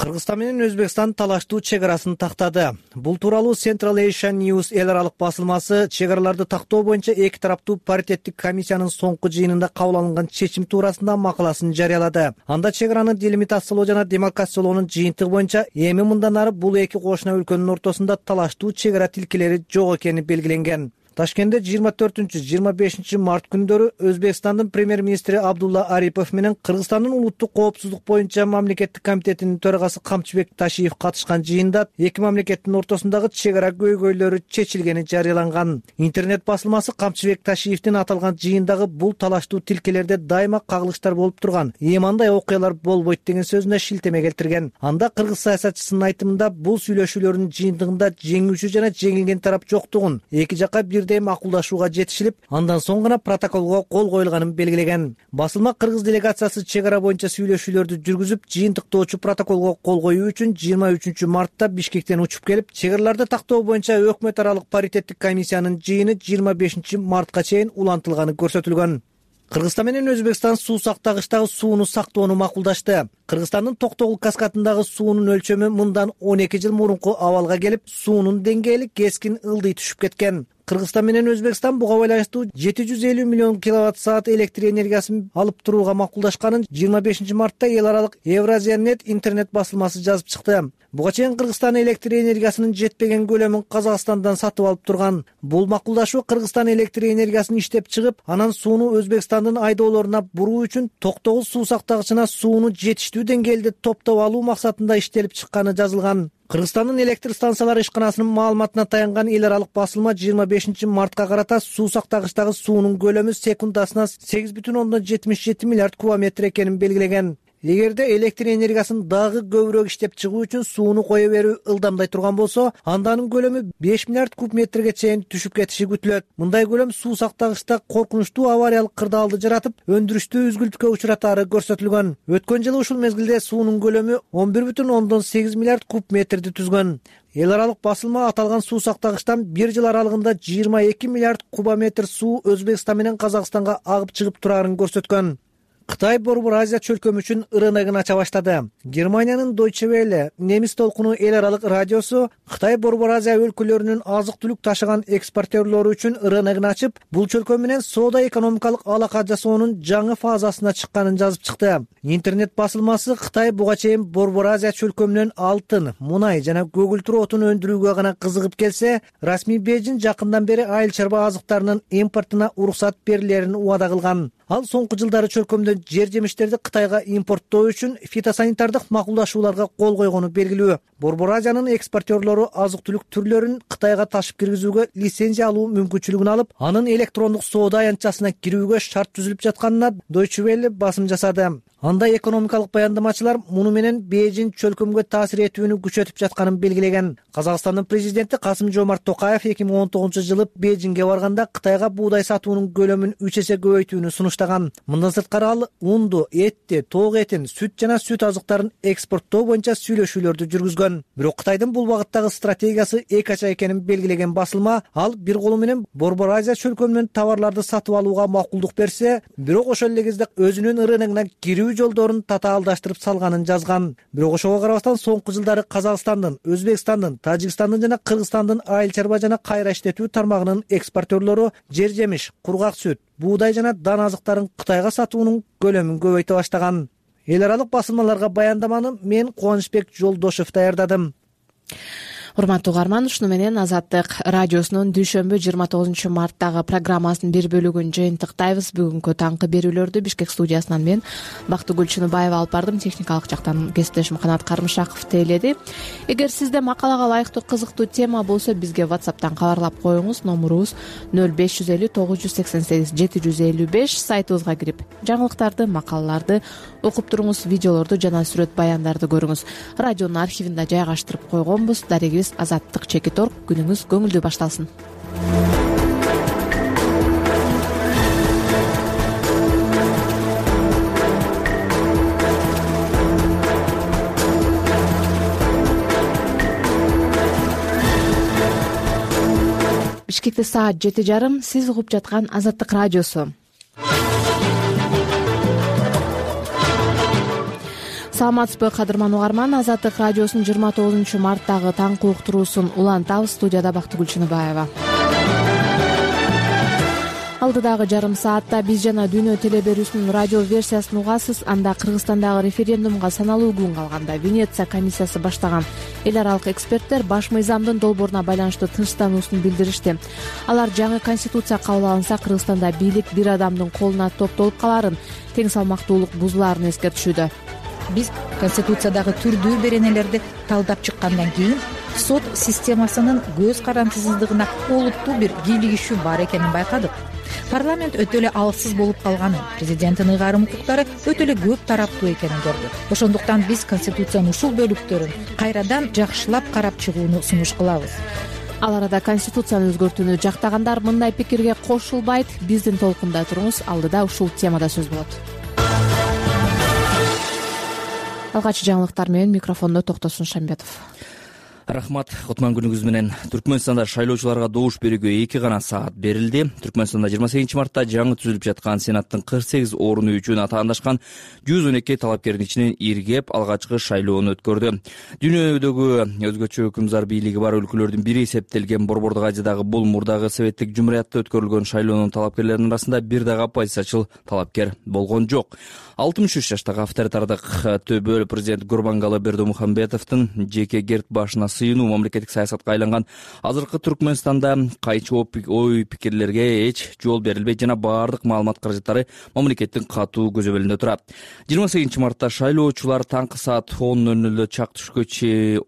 Кыргызстан менен Өзбекстан талаштуу чек арасын тактады. Бул тууралуу Central Asian News эл аралык басылмасы чек араларды тактоо боюнча эки тараптуу паритеттик комиссиянын соңку жыйынында кабыл алынган чечим туурасында макаласын жарыялады. Анда чек араны делимитациялоо жана демаркациялоонун жыйынтыгы боюнча эми мындан ары бул эки кошуна өлкөнүн ортосунда талаштуу чек ара тилкелери жок экени белгиленген. Ташкентте 24-25 март күндөрү Өзбекстандын премьер-министри Абдулла Арипов менен Кыргызстандын улуттук коопсуздук боюнча мамлекеттик комитетинин төрагасы Камчыбек Ташиев катышкан жыйында эки мамлекеттин ортосундагы чек ара көйгөйлөрү чечилгени жарыяланган. Интернет басылмасы Камчыбек Ташиевдин аталган жыйындагы бул талаштуу тилкелерде дайыма кагылыштар болуп турган, эми андай окуялар болбойт деген сөзүнө шилтеме келтирген. Анда кыргыз саясатчысынын айтымында бул сүйлөшүүлөрдүн жыйынтыгында жеңүүчү жана жеңилген тарап жоктугун, эки жакка бирдей макулдашууга жетишилип, андан соң гана протоколго кол коюлганын белгилеген. Басылма кыргыз делегациясы чек ара боюнча сүйлөшүүлөрдү жүргүзүп, жыйынтыктоочу протоколго кол коюу үчүн 23 мартта Бишкектен учуп келип, чек араларды тактоо боюнча өкмөт аралык паритеттик комиссиянын жыйыны 25 мартка чейин улантылганы көрсөтүлгөн. Кыргызстан менен Өзбекстан суу сактагычтагы сууну сактоону макулдашты. Кыргызстандын Токтогул каскадындагы суунун өлчөмү мындан 12 жыл мурунку абалга келип, суунун деңгээли кескин ылдый түшүп кеткен. Кыргызстан менен Өзбекстан буга байланыштуу 750 миллион киловатт-саат электр энергиясын алып турууга макулдашканын 25 мартта эл аралык Евразиянет интернет басылмасы жазып чыкты. Буга чейин Кыргызстан электр энергиясынын жетпеген көлөмүн Казакстандан сатып алып турган. Бул макулдашуу Кыргызстан электр энергиясын иштеп чыгып, анан сууну Өзбекстандын айдоолоруна буруу үчүн Токтогул суу сактагычына сууну жетиштүү деңгээлде топтоп алуу максатында иштелип чыкканы жазылган. Кыргызстандын электр станциялары ишканасынын маалыматына таянган эл аралык басылма 25 мартка карата суу сактагычтагы суунун көлөмү секундасына 8,77 миллиард кубометр экенин белгилеген. Эгерде электр энергиясын дагы көбүрөөк иштеп чыгуу үчүн сууну кое берүү ылдамдай турган болсо, анда анын көлөмү 5 миллиард куб метрге чейин түшүп кетиши күтүлөт. Мындай көлөм суу сактагычта коркунучтуу авариялык кырдаалды жаратып, өндүрүштү үзгүлтүккө учуратаары көрсөтүлгөн. Өткөн жылы ушул мезгилде суунун көлөмү 11,8 миллиард куб метрди түзгөн. Эл аралык басылма аталган суу сактагычтан бир жыл аралыгында 22 миллиард кубометр суу Өзбекстан менен Казакстанга агып чыгып турарын көрсөткөн. Кытай Борбор Азия чөлкөмү үчүн рыногун ача баштады. Германиянын Deutsche Welle немис толкуну эл аралык радиосу Кытай Борбор Азия өлкөлөрүнүн азык-түлүк ташыган экспортерлору үчүн рыногун ачып, бул чөлкө менен соода экономикалык алака жасоонун жаңы фазасына чыкканын жазып чыкты. Интернет басылмасы Кытай буга чейин Борбор Азия чөлкөмүнөн алтын, мунай жана көгүлтүр отун өндүрүүгө гана кызыгып келсе, расмий Бейжиң жакындан бери айыл чарба азыктарынын импортуна уруксат берилерин убада кылган. Ал соңку жылдары чөлкөмдөн жер жемиштерди Кытайга импорттоо үчүн фитосанитардык макулдашууларга кол койгону белгилүү. Борбор Азиянын экспортерлору азык-түлүк түрлөрүн Кытайга ташып киргизүүгө лицензия алуу мүмкүнчүлүгүн алып, анын электрондук соода аянтчасына кирүүгө шарт түзүлүп жатканына Deutsche Welle басым жасады. Анда экономикалык баяндамачылар муну менен Бейжиң чөлкөмгө таасир этүүнү күчөтүп жатканын белгилеген. Казакстандын президенти Касым-Жомарт Токаев 2019 жылы Бейжиңге барганда Кытайга буудай сатуунун көлөмүн 3 эсе көбөйтүүнү сунуштаган. Мындан сырткары ал унду, этти, тоок этин, сүт жана сүт азыктарын экспорттоо боюнча сүйлөшүүлөрдү жүргүзгөн. Бирок Кытайдын бул багыттагы стратегиясы эки ача экенин белгилеген басылма, ал бир колу менен Борбор Азия чөлкөмүнөн товарларды сатып алууга макулдук берсе, бирок ошол эле кезде өзүнүн рыногуна кирүү жолдорун татаалдаштырып салганын жазган. Бирок ошого карабастан соңку жылдары Казакстандын, Өзбекстандын, Тажикстандын жана Кыргызстандын айыл чарба жана кайра иштетүү тармагынын экспортерлору жер жемиш, кургак сүт, буудай жана дан азыктарын Кытайга сатуунун көлөмүн көбөйтө баштаган. Эл аралык басылмаларга баяндаманы мен Кубанычбек Жолдошов даярдадым. Урматтуу угарман, ушуну менен Азаттык радиосунун дүйшөмбү 29 марттагы программасынын бир бөлүгүн жыйынтыктайбыз. Бүгүнкү таңкы берүүлөрдү Бишкек студиясынан мен Бактыгүл Чыныбаева алып бардым. Техникалык жактан кесиптешим Канат Кармышаков тейледи. Эгер сизде макалага ылайыктуу кызыктуу тема болсо, бизге WhatsApp'тан кабарлап коюңуз. Номурубуз 0550 988 755. Сайтыбызга кирип жаңылыктарды, макалаларды окуп туруңуз, видеолорду жана сүрөт баяндарды көрүңүз. Радионун архивинде жайгаштырып койгонбуз. Дарегибиз Азаттык Чекит.орг. Күнүңүз көңүлдүү башталсын. Бишкекте саат 7:30. Сиз угуп жаткан Азаттык радиосу. Саламатсызбы, кадырман угарман. Азаттык радиосунун 29 марттагы таңкы уктуруусун улантабыз. Студияда Бактыгүл Чыныбаева. Алдыдагы жарым саатта биз жана Дүйнө телеберүүсүнүн радио версиясын угасыз. Анда Кыргызстандагы референдумга саналуу күн калганда Венеция комиссиясы баштаган эл аралык эксперттер баш мыйзамдын долбооруна байланыштуу тынчтануусун билдиришти. Алар жаңы конституция кабыл алынса, Кыргызстанда бийлик бир адамдын колуна топтолуп каларын, тең салмактуулук бузулаарын эскертишүүдө. Биз конституциядагы түрдүү беренелерди талдап чыккандан кийин сот системасынын көз карандысыздыгына олуттуу бир кийлигишүү бар экенин байкадык. Парламент өтө эле алсыз болуп калганын, президенттин ыйгарым укуктары өтө эле көп тараптуу экенин көрдүк. Ошондуктан биз конституциянын ушул бөлүктөрүн кайрадан жакшылап карап чыгууну сунуш кылабыз. Ал арада конституцияны өзгөртүүнү жактагандар мындай пикирге кошулбайт. Биздин толкунда туруңуз, алдыда ушул темада сөз болот. Алгачкы жаңылыктар менен микрофондо Токтосун Шамбетов. Рахмат, Кутман күнүңүз менен. Түркмөнстанда шайлоочуларга добуш берүүгө 2 гана саат берилди. Түркмөнстанда 28 мартта жаңы түзүлүп жаткан Сенаттын 48 орunu үчүн атаандашкан 112 талапкердин ичинен иргеп алгачкы шайлоону өткөрдү. Дүйнөдөгү өзгөчө өкүмзар бийлиги бар өлкөлөрдүн бири эсептелген Борбордук Азиядагы бул мурдагы советтик жумуриятта өткөрүлгөн шайлоонун талапкерлеринин арасында бир дагы оппозициячыл талапкер болгон жок. 63 жаштагы авторитардык төбөл президент Гурбангалы Бердымухамбетовдун жеке герт башына сыйынуу мамлекеттик саясатка айланган азыркы Түркмөнстанда кайчы ой пикирлерге эч жол берилбейт жана баардык маалымат каражаттары мамлекеттин катуу көзөмөлүндө турат. 28 мартта шайлоочулар таңкы саат 10:00 чак түшкө чейин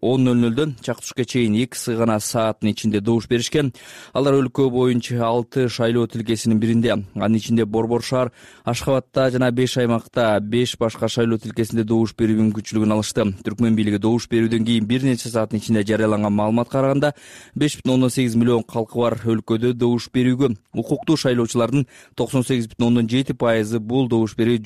2 гана сааттын ичинде добуш беришкен. Алар өлкө боюнча 6 шайлоо тилкесинин биринде, анын ичинде Борбор шаар, Ашхабадта жана 5 аймакта 5 башка шайлоо тилкесинде добуш берүү мүмкүнчүлүгүн алышты. Түркмөн бийлиги добуш берүүдөн кийин бир нече сааттын ичинде жарыяланган маалыматка караганда 5,8 миллион калкы бар өлкөдө добуш берүүгө укуктуу шайлоочулардын 98,7% бул добуш берүү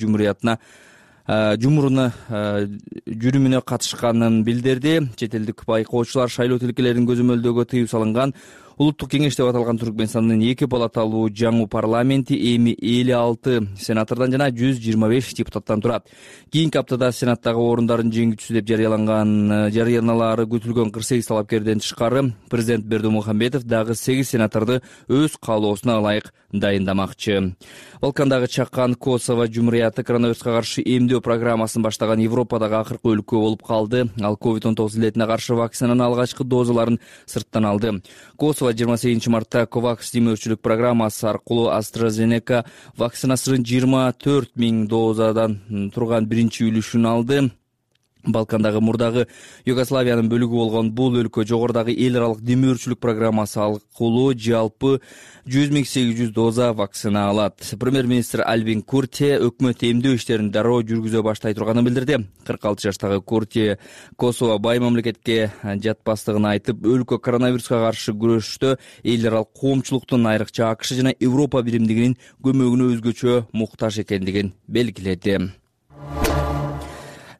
жүрүмүнө катышканын билдирди. Чет элдик байкоочулар шайлоо тилкелерин көзөмөлдөөгө тыюу салынган. Улуттук кеңеш деп аталган Түркмөнстандын 2 палаталуу жаңы парламенти эми 56 сенатордон жана 125 депутаттан турат. Кийинки аптада сенаттагы орундардын жеңүүчүсү деп жарыяналары күтүлгөн 48 талапкерден тышкары президент Бердымухамбетов дагы 8 сенаторду өз каалоосуна ылайык дайындамакчы. Балкандагы чакан Косово жумурияты коронавируска каршы эмдөө программасын баштаган Европадагы акыркы өлкө болуп калды. Ал COVID-19 илетине каршы вакцинанын алгачкы дозаларын сырттан алды. Косово 28 мартта COVAX демөөрчүлүк программасы аркылуу AstraZeneca вакцинасынын 24 000 дозадан турган биринчи үлүшүн алды. Балкандагы мурдагы Югославиянын бөлүгү болгон бул өлкө жогорудагы эл аралык демөөрчүлүк программасы аркылуу жалпы 100 800 доза вакцина алат. Премьер-министр Альбин Курти өкмөт эмдөө иштерин дароо жүргүзө баштай турганын билдирди. 46 жаштагы Курти Косово бай мамлекетке жатпастыгын айтып, өлкө коронавируска каршы күрөштө эл аралык коомчулуктун, айрыкча АКШ жана Европа биримдигинин көмөгүнө өзгөчө муктаж экендигин белгиледи.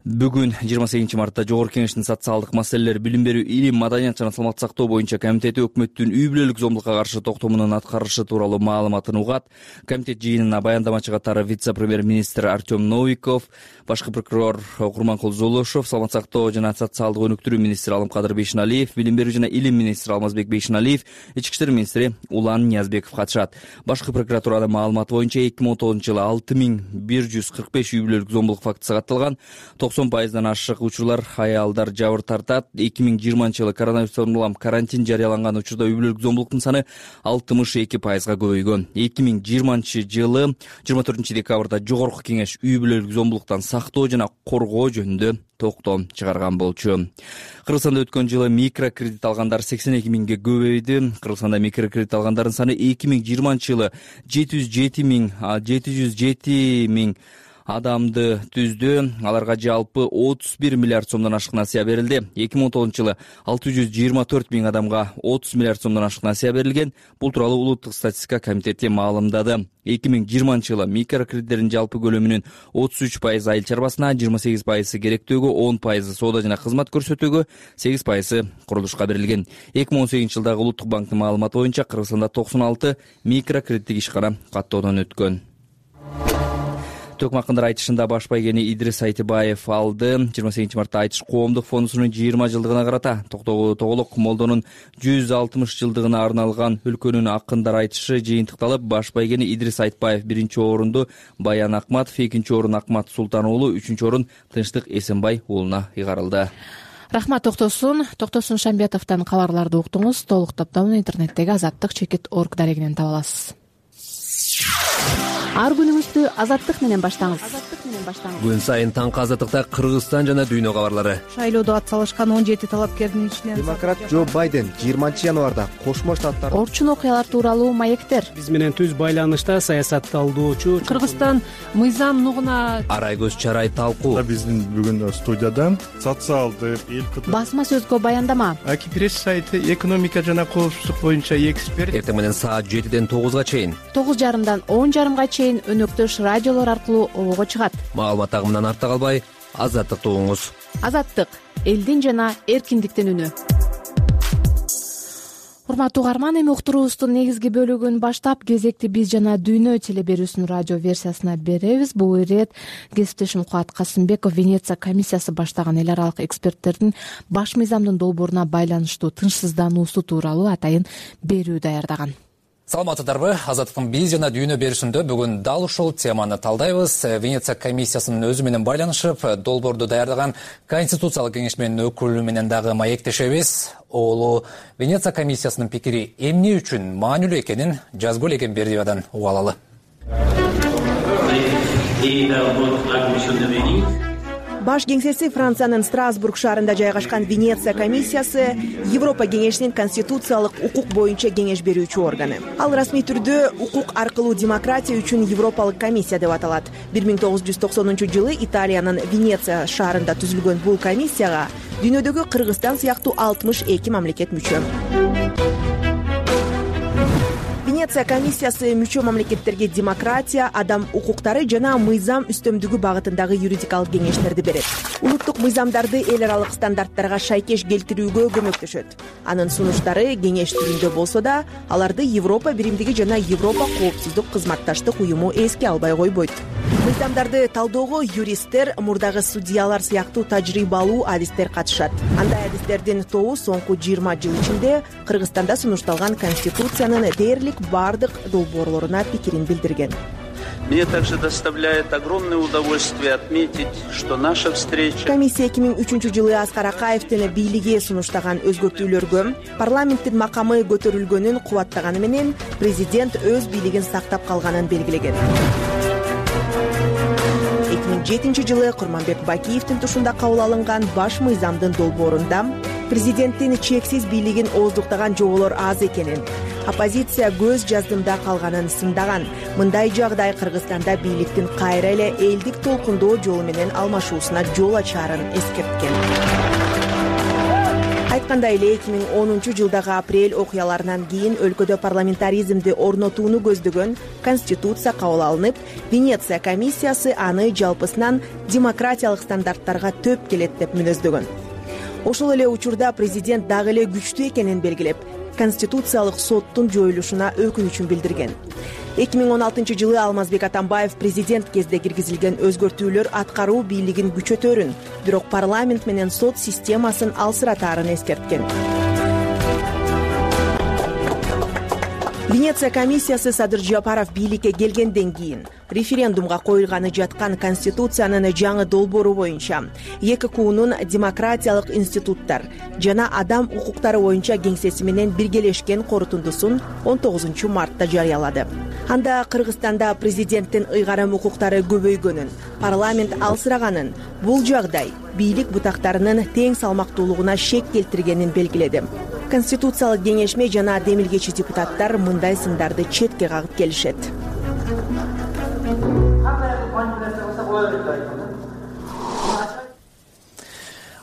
Бүгүн 28 мартта Жогорку Кеңештин социалдык маселелер, билим берүү, илим, маданият жана саламаттык сактоо боюнча комитети өкмөттүн үй бүлөлүк зомдукка каршы токтомунун аткарышы тууралуу маалыматын угат. Комитет жыйынына баяндамачы катары вице-премьер-министр Артем Новиков, башкы прокурор Курманкул Золошов, саламаттык сактоо жана социалдык өнүктүрүү министри Алымкадыр Бейшеналиев, билим берүү жана илим министри Алмазбек Бейшеналиев, ички иштер министри Улан Ниязбеков катышат. Башкы прокуратуранын маалыматы боюнча 2019 жылы 6145 үй бүлөлүк зомбулук фактысы катталган. 90% ашык учурлар аялдар жабыр тартат. 2020-жылы коронавирустан улам карантин жарыяланган учурда үй бүлөлүк зомбулуктун саны 62%га көбөйгөн. 2020-жылы 24 декабрда жогорку кеңеш үй бүлөлүк зомбулуктан сактоо жана коргоо жөнүндө токтом чыгарган болчу. Кыргызстанда өткөн жылы микрокредит алгандар 82 миңге көбөйдү. Кыргызстанда микрокредит алгандардын саны 2020-жылы 707 миң адамды түздү. Аларга жалпы 31 миллиард сомдон ашык насыя берилди. 2019-жылы 624 миң адамга 30 миллиард сомдон ашык насыя берилген. Бул тууралуу Улуттук статистика комитети маалымдады. 2020-жылы микрокредиттердин жалпы көлөмүнүн 33% айыл чарбасына, 28% керектөөгө, 10% соода жана кызмат көрсөтүүгө, 8% курулушка берилген. 2018-жылдагы Улуттук банктын маалыматы боюнча Кыргызстанда 96 микрокредиттик ишкана каттоодон өткөн. Төкмакындар айтышында баш байгени Идрис Айтыбаев алды. 28 мартта Айтыш коомдук фондусунун 20 жылдыгына карата Тоголок молдонун 160 жылдыгына арналган өлкөнүн акындар айтышы жыйынтыкталып, баш байгени Идрис Айтбаев 1-орунду Баян Акматов, 2-орун Акмат Султан уулу, 3-орун Тынчтык Эсенбай уулуна ыйгарылды. Рахмат Токтосун Шамбетовдон кабарларды уктуңуз. Толук топтомун интернеттеги azattik.org дарегинен таба аласыз. Ар күнүңүздү Азаттык менен баштаңыз. Күн сайын таңкы Азаттыкта Кыргызстан жана дүйнө кабарлары. Шайлоодо атсалышкан 17 талапкердин ичинен демократ Джо Байден 20-январда Кошмо Штаттар орчун окуялар тууралуу маектер. Биз менен түз байланышта саясатталдоочу Кыргызстан мыйзам нугуна Арайгөз Чарай талкуу. Биздин бүгүн студияда социалдык басма сөзгө баяндама. Акипресс сайты экономика жана коопсуздук боюнча эксперт. Эртең менен саат 7-ден 9-га чейин, 9:30-дан 10:30-га чейин өнөктөш радиолор аркылуу обого чыгат. Маалымат агымынан артта калбай, Азаттыкты угуңуз. Азаттык — элдин жана эркиндиктин үнү. Урматтуу угарман, эми уктуруубуздун негизги бөлүгүн баштап, кезекти биз жана дүйнө телеберүүсүнүн радио версиясына беребиз. Бул ирет кесиптешим Кубат Касымбеков Венеция комиссиясы баштаган эл аралык эксперттердин баш мыйзамдын долбооруна байланыштуу тынчсыздануусу тууралуу атайын берүү даярдаган. Саламатсыздарбы? Азаттыктын биз жана дүйнө берүүсүндө бүгүн дал ушул теманы талдайбыз. Венеция комиссиясынын өзү менен байланышып, долбоорду даярдаган Конституциялык кеңеш менен өкүлү менен дагы маектешебиз. Оолу Венеция комиссиясынын пикири эмне үчүн маанилүү экенин жазгыл элеген Бердиевадан уга алалы. Баш кеңсеси Франциянын Страсбург шаарында жайгашкан Венеция комиссиясы Европа кеңешинин конституциялык укук боюнча кеңеш берүүчү органы. Ал расмий түрдө укук аркылуу демократия үчүн Европалык комиссия деп аталат. 1990-жылы Италиянын Венеция шаарында түзүлгөн бул комиссияга дүйнөдөгү Кыргызстан сыяктуу 62 мамлекет мүчө. Венеция комиссиясы мүчө мамлекеттерге демократия, адам укуктары жана мыйзам үстөмдүгү багытындагы юридикалык кеңештерди берет. Улуттук мыйзамдарды эл аралык стандарттарга шайкеш келтирүүгө көмөктөшөт. Анын сунуштары кеңеш түрүндө болсо да, аларды Европа биримдиги жана Европа коопсуздук кызматташтык уюму эске албай койбойт. Мыйзамдарды талоого юристтер, мурдагы судьялар сыяктуу тажрыйбалуу адистер катышат. Андай адистердин тобу соңку 20 жыл ичинде Кыргызстанда сунушталган конституциянын дээрлик бардык долбоорлоруна пикирин билдирген. Мне также доставляет огромное удовольствие отметить, что наша встреча... Комиссия 2003-жылы Аскар Акаевдин бийлиги сунуштаган өзгөртүүлөргө парламенттин макамы көтөрүлгөнүн кубаттаганы менен президент өз бийлигин сактап калганын белгилеген. 2007-жылы Курманбек Бакиевдин тушунда кабыл алынган баш мыйзамдын долбоорунда президенттин чексиз бийлигин ооздуктаган жоболор аз экенин, оппозиция көз жаздымда калганын сындаган. Мындай жагдай Кыргызстанда бийликтин кайра эле элдик толкундоо жолу менен алмашуусуна жол ачаарын эскерткен. Айткандай эле 2010-жылдагы апрель окуяларынан кийин өлкөдө парламентаризмди орнотууну көздөгөн конституция кабыл алынып, Венеция комиссиясы аны жалпысынан демократиялык стандарттарга төп келет деп мүнөздөгөн. Ошол эле учурда президент дагы эле күчтүү экенин белгилеп, конституциялык соттун жоюлушуна өкүнүчүн билдирген. 2016-жылы Алмазбек Атамбаев президент кезде киргизилген өзгөртүүлөр аткаруу бийлигин күчөтөрүн, бирок парламент менен сот системасын алсыратаарын эскерткен. Венеция комиссиясы Садыр Жапаров бийликке келгенден кийин референдумга коюлганы жаткан Конституциянын жаңы долбоору боюнча ЭККУнун демократиялык институттар жана адам укуктары боюнча кеңсеси менен биргелешкен корутундусун 19 мартта жарыялады. Анда Кыргызстанда президенттин ыйгарым укуктары көбөйгөнүн, парламент алсыраганын, бул жагдай бийлик бутактарынын тең салмактуулугуна шек келтиргенин белгиледи. Конституциялык кеңешме жана демилгечи депутаттар мындай сындарды четке кагып келишет.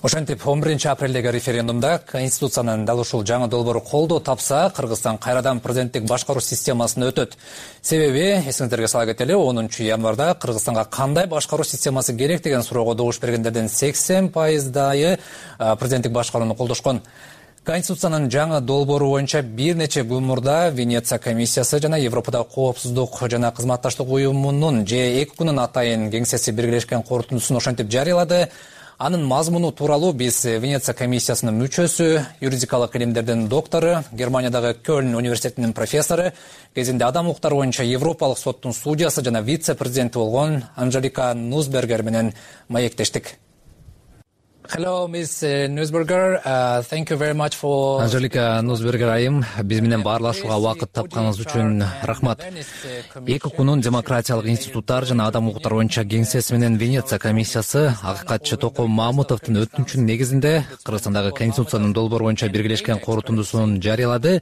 Ошентип 11-апрелдеги референдумда Конституциянын дал ушул жаңы долбоору колдоо тапса, Кыргызстан кайрадан президенттик башкаруу системасына өтөт. Себеби, эсиңиздерге сала кетели, 10 январда Кыргызстанга кандай башкаруу системасы керек деген суроого добуш бергендердин 80% президенттик башкарууну колдошкон. Конституциянын жаңы долбоору боюнча бир нече күн мурда Венеция комиссиясы жана Европадагы коопсуздук жана кызматташтык уюмунун ЭККУнун атайын кеңсеси биргелешкен корутундусун ошентип жарыялады. Анын мазмуну тууралуу биз Венеция комиссиясынын мүчөсү, юридикалык илимдердин доктору, Германиядагы Кёльн университетинин профессору, кезинде адам укуктары боюнча Европалык соттун судьясы жана вице-президенти болгон Анжелика Нусбергер менен маектештик. Hello, Ms. Nussberger. Thank you very much for... Анжелика Нусбергер айым, биз менен баарлашууга убакыт тапканыңыз үчүн рахмат. ЭККУнун демократиялык институттар жана адам укуктары боюнча кеңсеси менен Венеция комиссиясы акыйкатчы Током Мамутовдун өтүнүчүнүн негизинде Кыргызстандагы Конституциянын долбоору боюнча биргелешкен корутундусун жарыялады.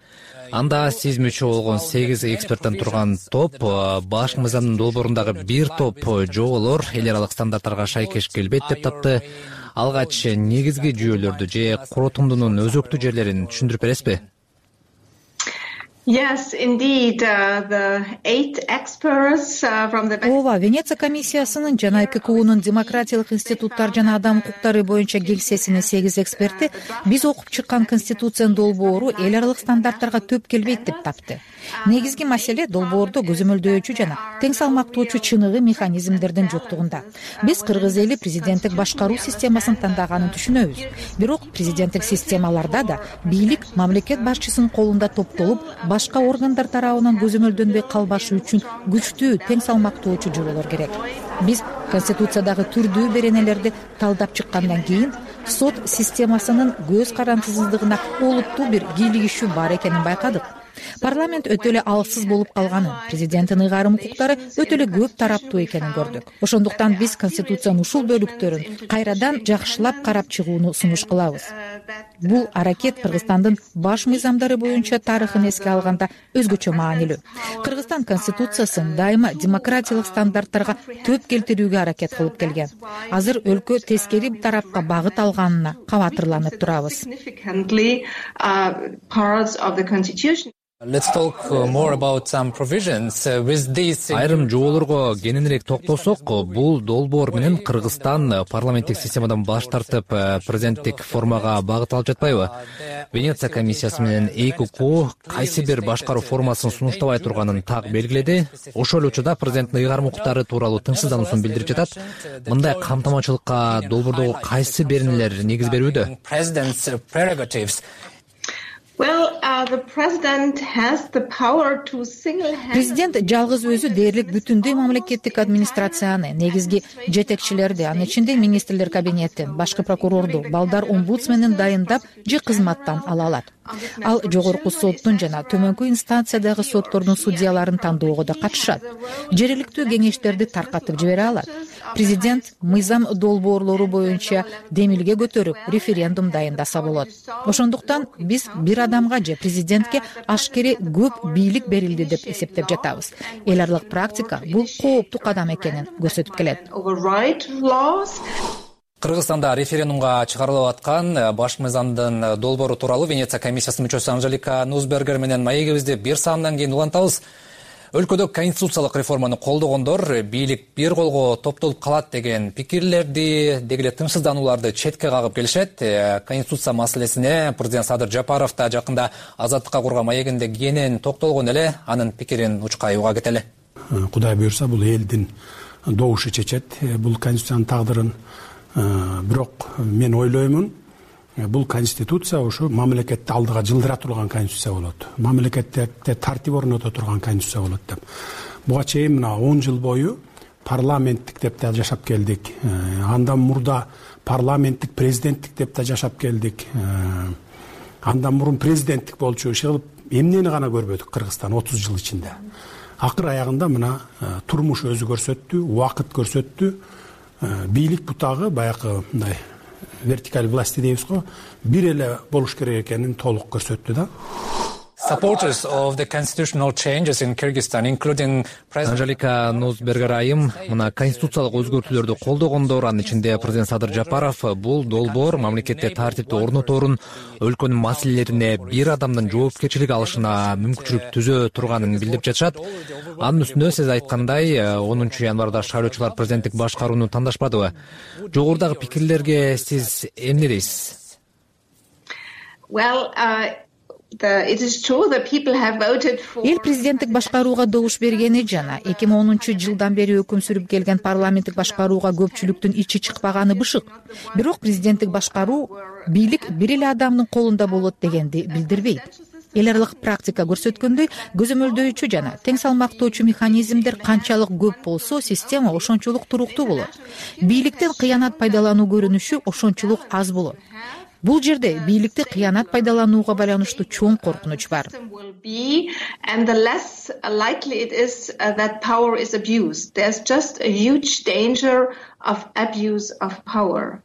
Анда сиз мүчө болгон 8 эксперттен турган топ баш мыйзамдын долбоорундагы бир топ жоболор эл аралык стандарттарга шайкеш келбейт деп тапты. Алгач негизги жүйөлөрдү же корутундунун өзөктүү жерлерин түшүндүрүп бересизби? Yes, indeed. The 8 experts from the... Ооба, Венеция комиссиясынын жана ЭККУнун демократиялык институттар жана адам укуктары боюнча кеңсесинин 8 эксперти биз окуп чыккан Конституциянын долбоору эл аралык стандарттарга төп келбейт деп тапты. Негизги маселе долбоордо көзөмөлдөөчү жана тең салмактоочу чыныгы механизмдердин жоктугунда. Биз кыргыз эли президенттик башкаруу системасын тандаганын түшүнөбүз. Бирок президенттик системаларда да бийлик мамлекет башчысынын колунда топтолуп, башка органдар тарабынан көзөмөлдөнбөй калбашы үчүн күчтүү, тең салмактоочу жоболор керек. Биз Конституциядагы түрдүү беренелерди талдап чыккандан кийин сот системасынын көз карандысыздыгына олуттуу бир кийлигишүү бар экенин байкадык. Парламент өтө эле алсыз болуп калганын, президенттин ыйгарым укуктары өтө эле көп тараптуу экенин көрдүк. Ошондуктан биз Конституциянын ушул бөлүктөрүн кайрадан жакшылап карап чыгууну сунуш кылабыз. Бул аракет Кыргызстандын баш мыйзамдары боюнча тарыхын эске алганда өзгөчө маанилүү. Кыргызстан Конституциясын дайыма демократиялык стандарттарга төп келтирүүгө аракет кылып келген. Азыр өлкө тескери тарапка багыт алганына кабатырланып турабыз. Let's talk more about some provisions with these. Айрым жоболорго кененирээк токтолсок, бул долбоор менен Кыргызстан парламенттик системадан баш тартып, президенттик формага багыт алып жатпайбы? Венеция комиссиясы менен ЭККУ кайсы бир башкаруу формасын сунуштабай турганын так белгиледи. Ошол эле учурда президенттин ыйгарым укуктары тууралуу тынчсыздануусун билдирип жатат. Мындай камтамачылыкка долбоордогу кайсы беренелер негиз берүүдө? Президент жалгыз өзү дээрлик бүтүндөй мамлекеттик администрацияны, негизги жетекчилерди, анын ичинде министрлер кабинетин, башкы прокурорду, балдар омбудсменин дайындап же кызматтан ала алат. Ал жогорку соттун жана төмөнкү инстанциядагы соттордун судьяларын тандоого да катышат. Жергиликтүү кеңештерди таркатып жибере алат. Президент мыйзам долбоорлору боюнча демилге көтөрүп, референдум дайындаса болот. Ошондуктан биз бир адамга же президентке ашкере көп бийлик берилди деп эсептеп жатабыз. Эл аралык практика бул кооптуу кадам экенин көрсөтүп келет. Кыргызстанда референдумга чыгарылып аткан баш мыйзамдын долбоору тууралуу Венеция комиссиясынын мүчөсү Анжелика Нусбергер менен маегибизди бир саамдан кийин улантабыз. Өлкөдө конституциялык реформаны колдогондор бийлик бир колго топтолуп калат деген пикирлерди, деги эле тынчсызданууларды четке кагып келишет. Конституция маселесине президент Садыр Жапаров да жакында Азаттыкка курган маегинде кенен токтолгон эле, анын пикирин учкай уга кетели. Кудай буйрса бул элдин добушу чечет бул конституциянын тагдырын. Бирок мен ойлоймун, бул конституция ушу мамлекетти алдыга жылдыра турган конституция болот, мамлекетте тартип орното турган конституция болот деп. Буга чейин мына 10 жыл бою парламенттик деп да жашап келдик. Андан мурда парламенттик президенттик деп да жашап келдик. Андан мурун президенттик болчу иши эмнени гана көрбөдүк Кыргызстан 30 жыл ичинде. Акыр аягында мына турмуш өзү көрсөттү, убакыт көрсөттү. Бийлик бутагы баягы мындай вертикаль власти дейбиз го, бир эле болуш керек экенин толук көрсөттү да. Supporters of the constitutional changes in Kyrgyzstan, including Анжелика Нузбергер айым мына конституциялык өзгөртүүлөрдү колдогондор, анын ичинде президент Садыр Жапаров бул долбоор мамлекетте тартипти орноторун, өлкөнүн маселелерине бир адамдын жоопкерчилик алышына мүмкүнчүлүк түзө турганын билдирип жатышат. Анын үстүнө сиз айткандай 10 январда шайлоочулар президенттик башкарууну тандашпадыбы? Жогорудагы пикирлерге сиз эмне дейсиз? Эл президенттик башкарууга добуш бергени жана 2010-жылдан бери өкүм сүрүп келген парламенттик башкарууга көпчүлүктүн ичи чыкпаганы бышык. Бирок президенттик башкаруу бийлик бир эле адамдын колунда болот дегенди билдирбейт. Эл аралык практика көрсөткөндөй, көзөмөлдөөчү жана тең салмактоочу механизмдер канчалык көп болсо, система ошончолук туруктуу болот. Бийликтен кыянат пайдалануу көрүнүшү ошончолук аз болот. Бул жерде бийликти кыянат пайдаланууга байланыштуу чоң коркунуч бар. And the less likely it is that power is abused. There's just a huge danger of abuse of power.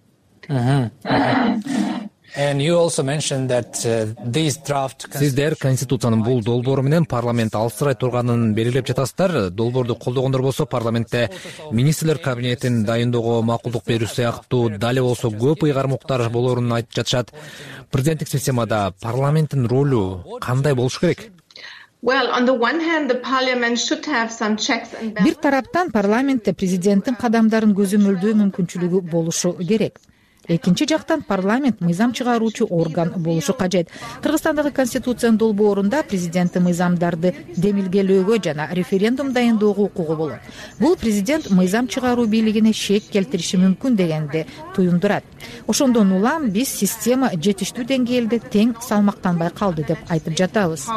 And you also mentioned that these draft Сиздер конституциянын бул долбоору менен парламент алсырай турганын белгилеп жатасыздар. Долбоорду колдогондор болсо парламентте министрлер кабинетин дайындоого макулдук берүү сыяктуу дале болсо көп ыйгармуктар болоорун айтып жатышат. Президенттик системада парламенттин ролу кандай болуш керек? Бир тараптан парламентте президенттин кадамдарын көзөмөлдөө мүмкүнчүлүгү болушу керек. Экинчи жактан парламент мыйзам чыгаруучу орган болушу кажет. Кыргызстандагы конституциянын долбоорунда президенттин мыйзамдарды демилгелөөгө жана референдум дайындоого укугу болот. Бул президент мыйзам чыгаруу бийлигине шек келтириши мүмкүн дегенди туюндурат. Ошондон улам биз система жетиштүү деңгээлде тең салмактанбай калды деп айтып жатабыз.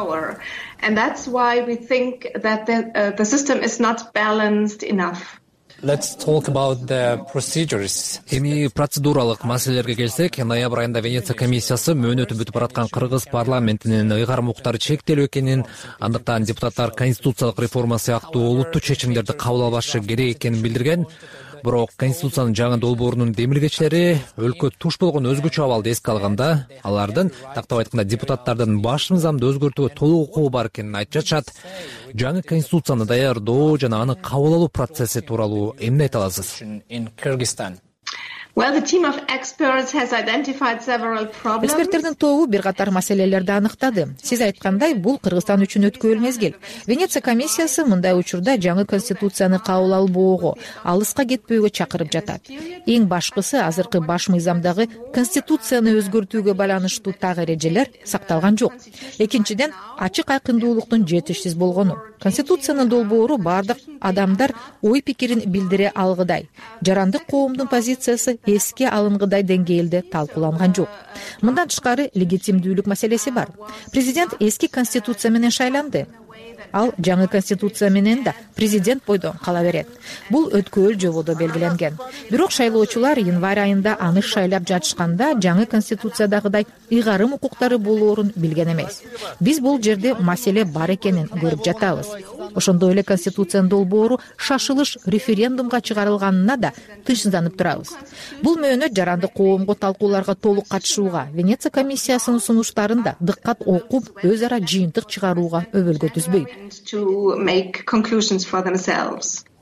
And that's why we think that the system is not balanced enough. Let's talk about the procedures. Эми процедуралык маселелерге келсек, ноябрь айында Венеция комиссиясы мөөнөтү бүтүп бараткан Кыргыз парламентинин ыйгарым укуктары чектелүү экенин, андыктан депутаттар конституциялык реформа сыяктуу улуттуу чечимдерди кабыл албашы керек экенин билдирген. Бирок конституциянын жаңы долбоорунун демилгечилери өлкө туш болгон өзгөчө абалды эске алганда, алардын тактап айтканда депутаттардын баш мыйзамды өзгөртүүгө толук укугу бар экенин айтып жатышат. Жаңы конституцияны даярдоо жана аны кабыл алуу процесси тууралуу эмне айта аласыз? Эксперттердин тобу бир катар маселелерди аныктады. Сиз айткандай, бул Кыргызстан үчүн өткүлүү мезгил. Венеция комиссиясы мындай учурда жаңы конституцияны кабыл албоого, алыска кетпөөгө чакырып жатат. Эң башкысы азыркы баш мыйзамдагы конституцияны өзгөртүүгө байланыштуу так эрежелер сакталган жок. Экинчиден, ачык айкындуулуктун жетишсиз болгону. Конституциянын долбоору бардык адамдар ой пикирин билдире алгыдай. Жарандык коомдун позициясы эске алынгыдай деңгээлде талкууланган жок. Мындан тышкары легитимдүүлүк маселеси бар. Президент эски конституция менен шайланды. Ал жаңы конституция менен да президент бойдон кала берет. Бул өткөөл жободо белгиленген. Бирок шайлоочулар январь айында аны шайлап жатышканда жаңы конституциядагыдай ыйгарым укуктары болоорун билген эмес. Биз бул жерде маселе бар экенин көрүп жатабыз. Ошондой эле конституциянын долбоору шашылыш референдумга чыгарылганына да тынчсызданып турабыз. Бул мөөнөт жарандык коомго талкууларга толук катышууга, Венеция комиссиясынын сунуштарын да дыккат окуп, өз ара жыйынтык чыгарууга өбөлгө түзбөйт.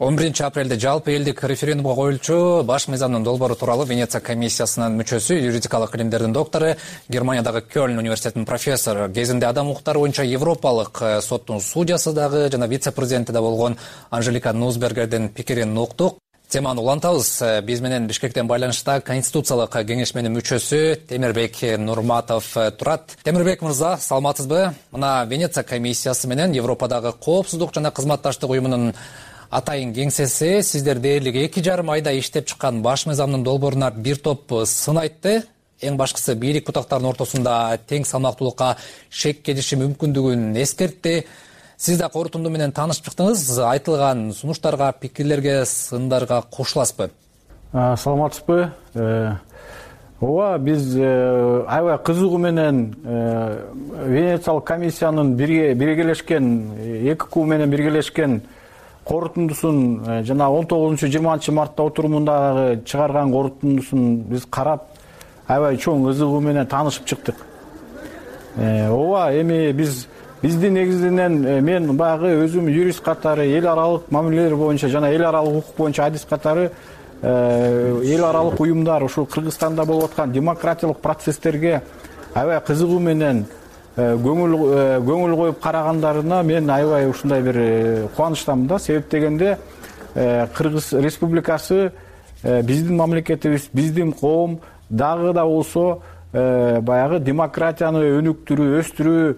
11 апрелде жалпы элдик референдумга коюлчу баш мыйзамдын долбоору тууралуу Венеция комиссиясынын мүчөсү, юридикалык илимдердин доктору, Германиядагы Кёльн университетинин профессору, кезинде адам укуктары боюнча Европалык соттун судьясы дагы жана вице-президенти да болгон Анжелика Нузбергердин пикирин уктук. Теманы улантабыз. Биз менен Бишкектен байланышта Конституциялык кеңешменин мүчөсү Темирбек Нурматов турат. Темирбек мырза, саламатсызбы? Мына Венеция комиссиясы менен Европадагы коопсуздук жана кызматташтык уюмунун атайын кеңсеси сиздер дээрлик 2,5 айда иштеп чыккан баш мыйзамдын долбооруна бир топ сын айтты. эң башкысы бийлик бутактарынын ортосунда тең салмактуулукка шек келиши мүмкүндүгүн эскертти. Сиз да корутунду менен таанышып чыктыңыз. Айтылган сунуштарга, пикирлерге, сындарга кошуласызбы? Саламатсызбы? Ооба, биз аябай кызыгуу менен Венециялык комиссиянын биргелешкен, ЭККУ менен биргелешкен корутундусун жана 19-20 мартта отурумундагы чыгарган корутундусун биз карап, аябай чоң ызыгуу менен таанышып чыктык. Ооба, эми биздин негизинен мен баягы өзүм юрист катары эл аралык мамилелер боюнча жана эл аралык укук боюнча адис катары эл аралык уюмдар ушул Кыргызстанда болуп аткан демократиялык процесстерге аябай кызыгуу менен көңүл коюп карагандарына мен аябай ушундай бир кубанычтамын да. Себеп дегенде Кыргыз Республикасы биздин мамлекетибиз, биздин коом дагы да болсо баягы демократияны өнүктүрүү, өстүрүү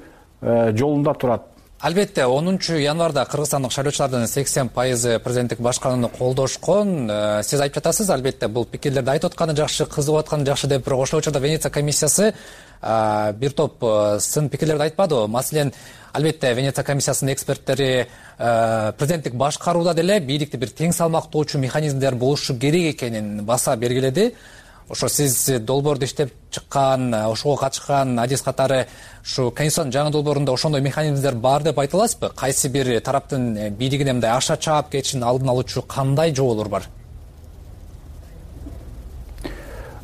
жолунда турат. Албетте, 10-январда кыргызстандык шайлоочулардын 80% президенттик башкарууну колдошкон. Сиз айтып жатасыз, албетте, бул пикирлерди айтып атканы жакшы, кызыгып атканы жакшы деп, бирок ошол учурда Венеция комиссиясы бир топ сын пикирлерди айтпадыбы? Маселен, албетте, Венеция комиссиясынын эксперттери президенттик башкарууда деле бийликти бир тең салмактоочу механизмдер болушу керек экенин баса бергиледи. Ошо сиз долбоорду иштеп чыккан, ошого катышкан адис катары ушу Конституциянын жаңы долбоорунда ошондой механизмдер бар деп айта аласызбы? Кайсы бир тараптын бийлигине мындай аша чаап кетишин алдын алуучу кандай жолдор бар?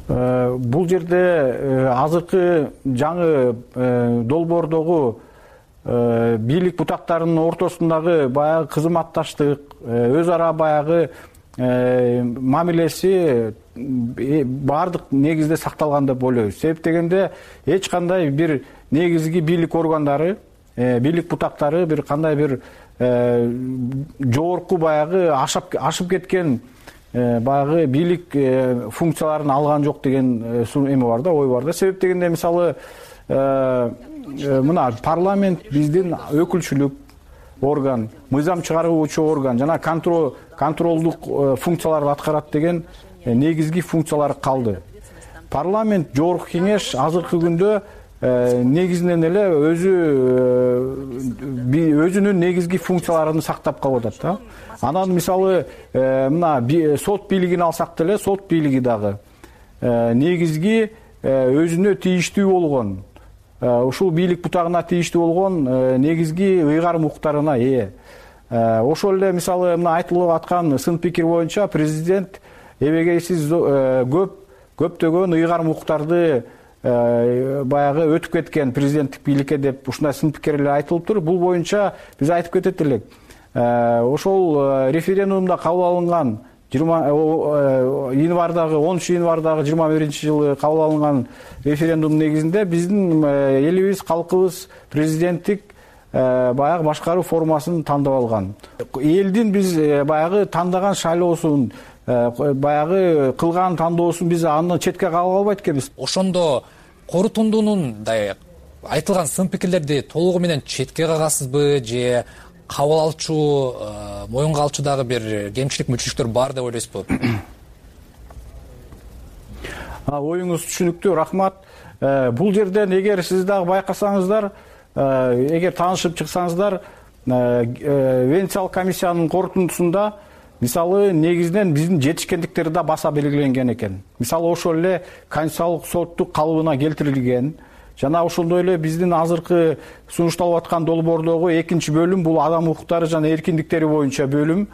Бул жерде азыркы жаңы долбоордогу бийлик бутактарынын ортосундагы баягы кызматташтык, өз ара баягы мамилеси баардык негизде сакталган деп ойлойбуз. Себеп дегенде эч кандай бир негизги бийлик органдары, бийлик бутактары бир кандай бир жогорку баягы ашып кеткен баягы бийлик функцияларын алган жок деген эме бар да, ой бар да. Себеп дегенде мисалы мына парламент биздин өкүлчүлүк орган, мыйзам чыгаруучу орган жана контролдук функцияларды аткарат деген негизги функциялары калды. Парламент, жогорку кеңеш азыркы күндө негизинен эле өзүнүн негизги функцияларын сактап калып атат да. Анан мисалы мына сот бийлигин алсак деле, сот бийлиги дагы негизги өзүнө тийиштүү болгон, ушул бийлик бутагына тийиштүү болгон негизги ыйгарым укуктарына ээ. Ошол эле мисалы мына айтылып аткан сын пикир боюнча президент эбегейсиз көптөгөн ыйгарым укуктарды баягы өтүп кеткен президенттик бийликке деп ушундай сын пикирлер айтылыптыр. Бул боюнча биз айтып кетет элек. Ошол референдумда кабыл алынган 13 январдагы 21-жылы кабыл алынган референдум негизинде биздин элибиз, калкыбыз президенттик баягы башкаруу формасын тандап алган. Элдин биз баягы тандаган шайлоосун, баягы кылган тандоосун биз аны четке кагып албайт экенбиз. Ошондо корутундунун айтылган сын пикирлерди толугу менен четке кагасызбы же кабыл алчу, моюнга алчу дагы бир кемчилик мүчүлүктөр бар деп ойлойсузбу? Оюңуз түшүнүктүү, рахмат. Бул жерден эгер сиз дагы байкасаңыздар, эгер таанышып чыксаңыздар, Венециялык комиссиянын корутундусунда мисалы негизинен биздин жетишкендиктер да баса белгиленген экен. Мисалы ошол эле конституциялык соттук калыбына келтирилген. Жана ошондой эле биздин азыркы сунушталып аткан долбоордогу 2-бөлүм бул адам укуктары жана эркиндиктери боюнча бөлүм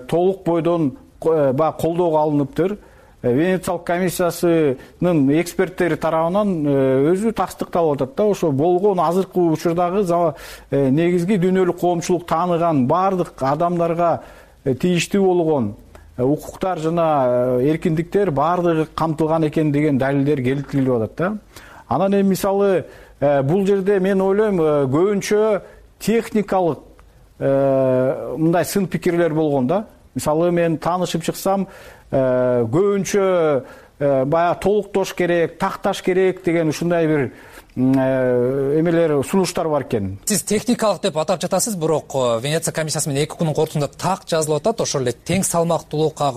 толук бойдон баягы колдоого алыныптыр. Венециялык комиссиясынын эксперттери тарабынан өзү тастыкталып атат да. Ошо болгон азыркы учурдагы негизги дүйнөлүк коомчулук тааныган баардык адамдарга тийиштүү болгон укуктар жана эркиндиктер баардыгы камтылган экен деген далилдер келтирилип атат да. Анан эми мисалы бул жерде мен ойлойм көбүнчө техникалык мындай сын пикирлер болгон да. Мисалы мен таанышып чыксам көбүнчө баягы толуктош керек, такташ керек деген ушундай бир эмелер сунуштар бар экен. Сиз техникалык деп атап жатасыз, бирок Венеция комиссиясы менен 2 күнүн кортунда так жазылып атат. Ошол эле тең салмактуулукка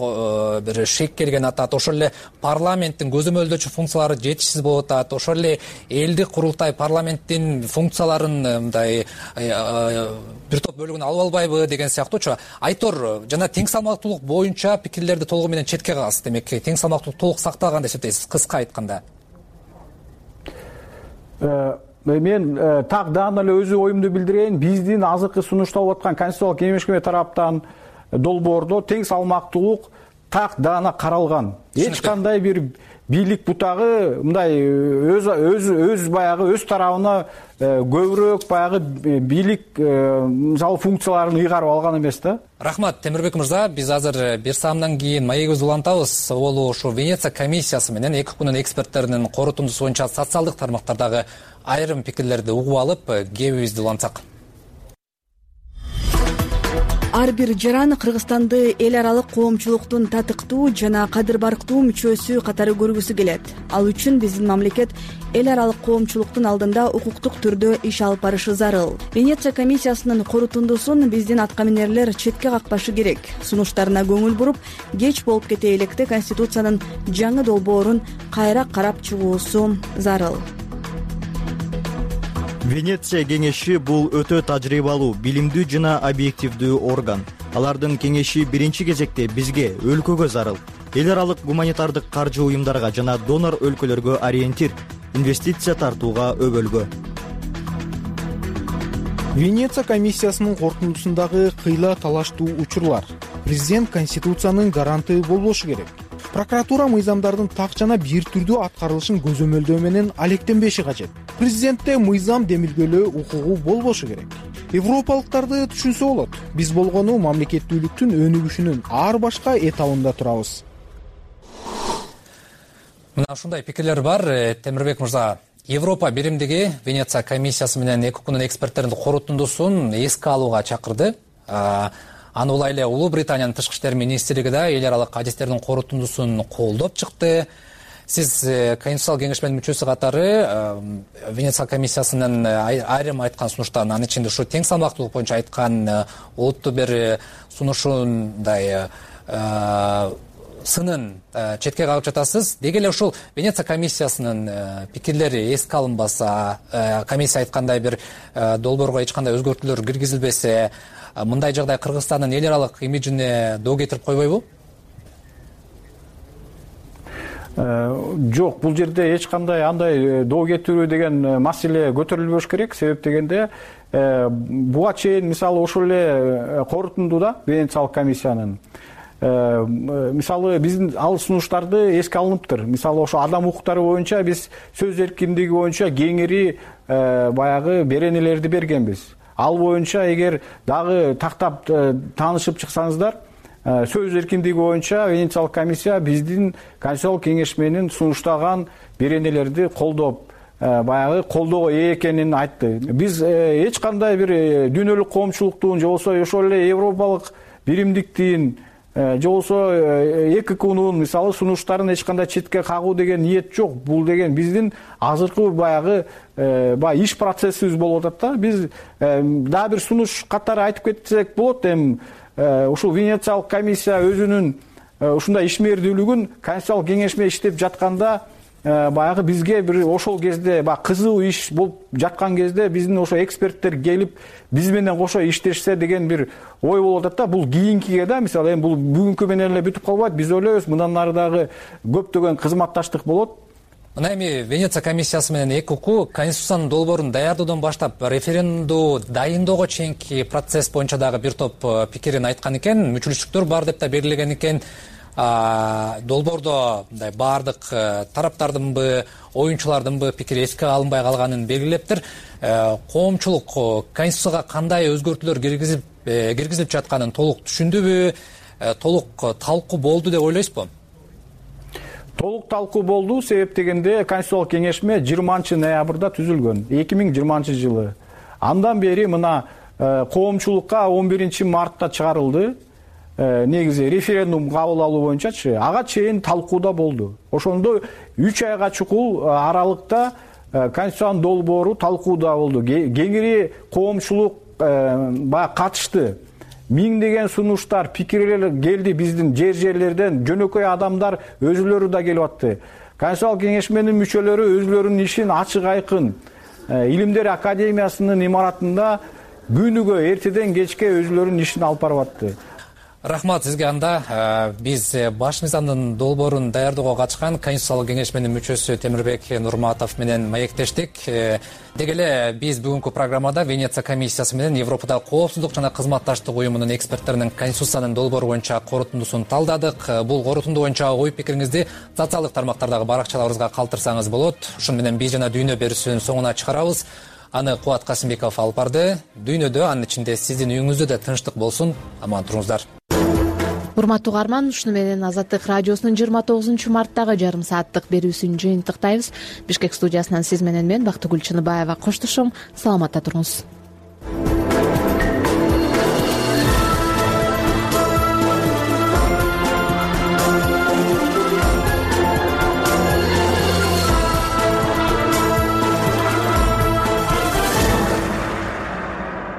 бир шек келген атат. Ошол эле парламенттин көзөмөлдөөчү функциялары жетишсиз болуп атат. Ошол эле элдик курултай парламенттин функцияларын мындай бир топ бөлүгүн алып албайбы деген сыяктуучу. Айтор жана тең салмактуулук боюнча пикирлерди толугу менен четке кагасыз. Демек тең салмактуулук толук сакталган деп эсептейсиз, кыска айтканда. Мен так даана эле өз оюмду билдирейин. Биздин азыркы сунушталып аткан Конституциялык кеңешме тараптан долбоордо тең салмактуулук так даана каралган. Эч кандай бир бийлик бутагы мындай өз баягы өз тарабына көбүрөөк баягы бийлик мисалы функцияларын ыйгарып алган эмес да. Рахмат, Темирбек мырза. Биз азыр бир саамдан кийин маегибизди улантабыз. Ол ушу Венеция комиссиясы менен 2 күнүн эксперттеринин корутундусу боюнча социалдык тармактардагы айрым пикирлерди угуп алып, кебибизди улантсак. Ар бир жаран Кыргызстанды эл аралык коомчулуктун татыктуу жана кадыр барктуу мүчөсү катары көргүсү келет. Ал үчүн биздин мамлекет эл аралык коомчулуктун алдында укуктук түрдө иш алып барышы зарыл. Венеция комиссиясынын корутундусун биздин аткаминерлер четке какпашы керек. Сунуштарына көңүл буруп, кеч болуп кете электе Конституциянын жаңы долбоорун кайра карап чыгуусу зарыл. Венеция кеңеши бул өтө тажрыйбалуу, билимдүү жана объективдүү орган. Алардын кеңеши биринчи кезекте бизге, өлкөгө зарыл. Эл аралык гуманитардык каржы уюмдарга жана донор өлкөлөргө ориентир, инвестиция тартууга өбөлгө. Венеция комиссиясынын корутундусундагы кыйла талаштуу учурлар. Президент Конституциянын гаранты болбошу керек. Прокуратура мыйзамдардын так жана бир түрдүү аткарылышын көзөмөлдөө менен алектенбеши кажет. Президентте мыйзам демилгөлөө укугу болбошу керек. Европалыктарды түшүнсө болот. Биз болгону мамлекеттүүлүктүн өнүгүшүнүн ар башка этабында турабыз. Мына ушундай пикирлер бар. Темирбек мырза, Европа биримдиги Венеция комиссиясы менен 2 күнүн эксперттеринин корутундусун эске алууга чакырды. Аны улай эле Улуу Британиянын тышкы иштер министрлиги да эл аралык адистердин корутундусун колдоп чыкты. Сиз Конституциялык кеңешменин мүчөсү катары Венеция комиссиясынын айрым айткан сунуштарын, анын ичинде ушу тең салмактуулук боюнча айткан олуттуу бир сунушундай сынын четке кагып жатасыз. Деги эле ушул Венеция комиссиясынын пикирлери эске алынбаса, комиссия айткандай бир долбоорго эч кандай өзгөртүүлөр киргизилбесе, мындай жагдай Кыргызстандын эл аралык имиджине доо кетирип койбойбу? Жок, бул жерде эч кандай андай доо кетирүү деген маселе көтөрүлбөш керек. Себеп дегенде буга чейин мисалы ошол эле корутундуда Венециялык комиссиянын мисалы биздин ал сунуштарды эске алыныптыр. Мисалы ошо адам укуктары боюнча биз сөз эркиндиги боюнча кеңири баягы беренелерди бергенбиз. Ал боюнча эгер дагы тактап таанышып чыксаңыздар, сөз эркиндиги боюнча Венециялык комиссия биздин Конституциялык кеңешменин сунуштаган беренелерди колдоп, баягы колдоого ээ экенин айтты. Биз эч кандай бир дүйнөлүк коомчулуктун же болбосо ошол эле европалык биримдиктин же болбосо 2 күнүн мисалы сунуштарын эч кандай четке кагуу деген ниет жок. Бул деген биздин азыркы баягы иш процессибиз болуп атат да. Биз дагы бир сунуш катары айтып кетсек болот. Эми ушул Венециялык комиссия өзүнүн ушундай ишмердүүлүгүн Конституциялык кеңешме иштеп жатканда баягы бизге бир ошол кезде кызуу иш болуп жаткан кезде биздин ошо эксперттер келип биз менен кошо иштешсе деген бир ой болуп атат да. Бул кийинкиге да, мисалы эми бул бүгүнкү менен эле бүтүп калбайт. Биз ойлойбуз мындан ары дагы көптөгөн кызматташтык болот. Мына эми Венеция комиссиясы менен ЭКУ Конституциянын долбоорун даярдоодон баштап референдумду дайындоого чейинки процесс боюнча дагы бир топ пикирин айткан экен. Мүчүлүштүктөр бар деп да белгилеген экен. Долбоордо мындай баардык тараптардынбы, оюнчулардынбы пикири эске алынбай калганын белгилептир. Коомчулук Конституцияга кандай өзгөртүүлөр киргизилип жатканын толук түшүндүбү, толук талкуу болду деп ойлойсузбу? Толук талкуу болду. Себеп дегенде Конституциялык кеңешме 20-ноябрда түзүлгөн, 2020-жылы. Андан бери мына коомчулукка 11-мартта чыгарылды. Негизи референдум кабыл алуу боюнчачы ага чейин талкууда болду. Ошондо 3 айга чукул аралыкта конституциянын долбоору талкууда болду. Кеңири коомчулук баягы катышты. Миңдеген сунуштар, пикирлер келди биздин жерлерден. Жөнөкөй адамдар өзүлөрү да келип атты. Конституциялык кеңешменин мүчөлөрү өзүлөрүнүн ишин ачык айкын Илимдер академиясынын имаратында күнүгө эртеден кечке өзүлөрүнүн ишин алып барып атты. Рахмат сизге. Анда биз баш мыйзамдын долбоорун даярдоого катышкан Конституциялык кеңешменин мүчөсү Темирбек Нурматов менен маектештик. Деги эле биз бүгүнкү программада Венеция комиссиясы менен Европадагы коопсуздук жана кызматташтык уюмунун эксперттеринин Конституциянын долбоору боюнча корутундусун талдадык. Бул корутунду боюнча ой пикириңизди социалдык тармактардагы баракчаларыбызга калтырсаңыз болот. Ушун менен биз жана дүйнө берүүсүнүн соңуна чыгарабыз. Аны Кубат Касымбеков алып барды. Дүйнөдө, анын ичинде сиздин үйүңүздө да тынчтык болсун. Аман туруңуздар. Урматтуу угарман, ушуну менен Азаттык радиосунун 29 марттагы жарым сааттык берүүсүн жыйынтыктайбыз. Бишкек студиясынан сиз менен мен Бактыгүл Чыныбаева коштошом. Саламатта туруңуз.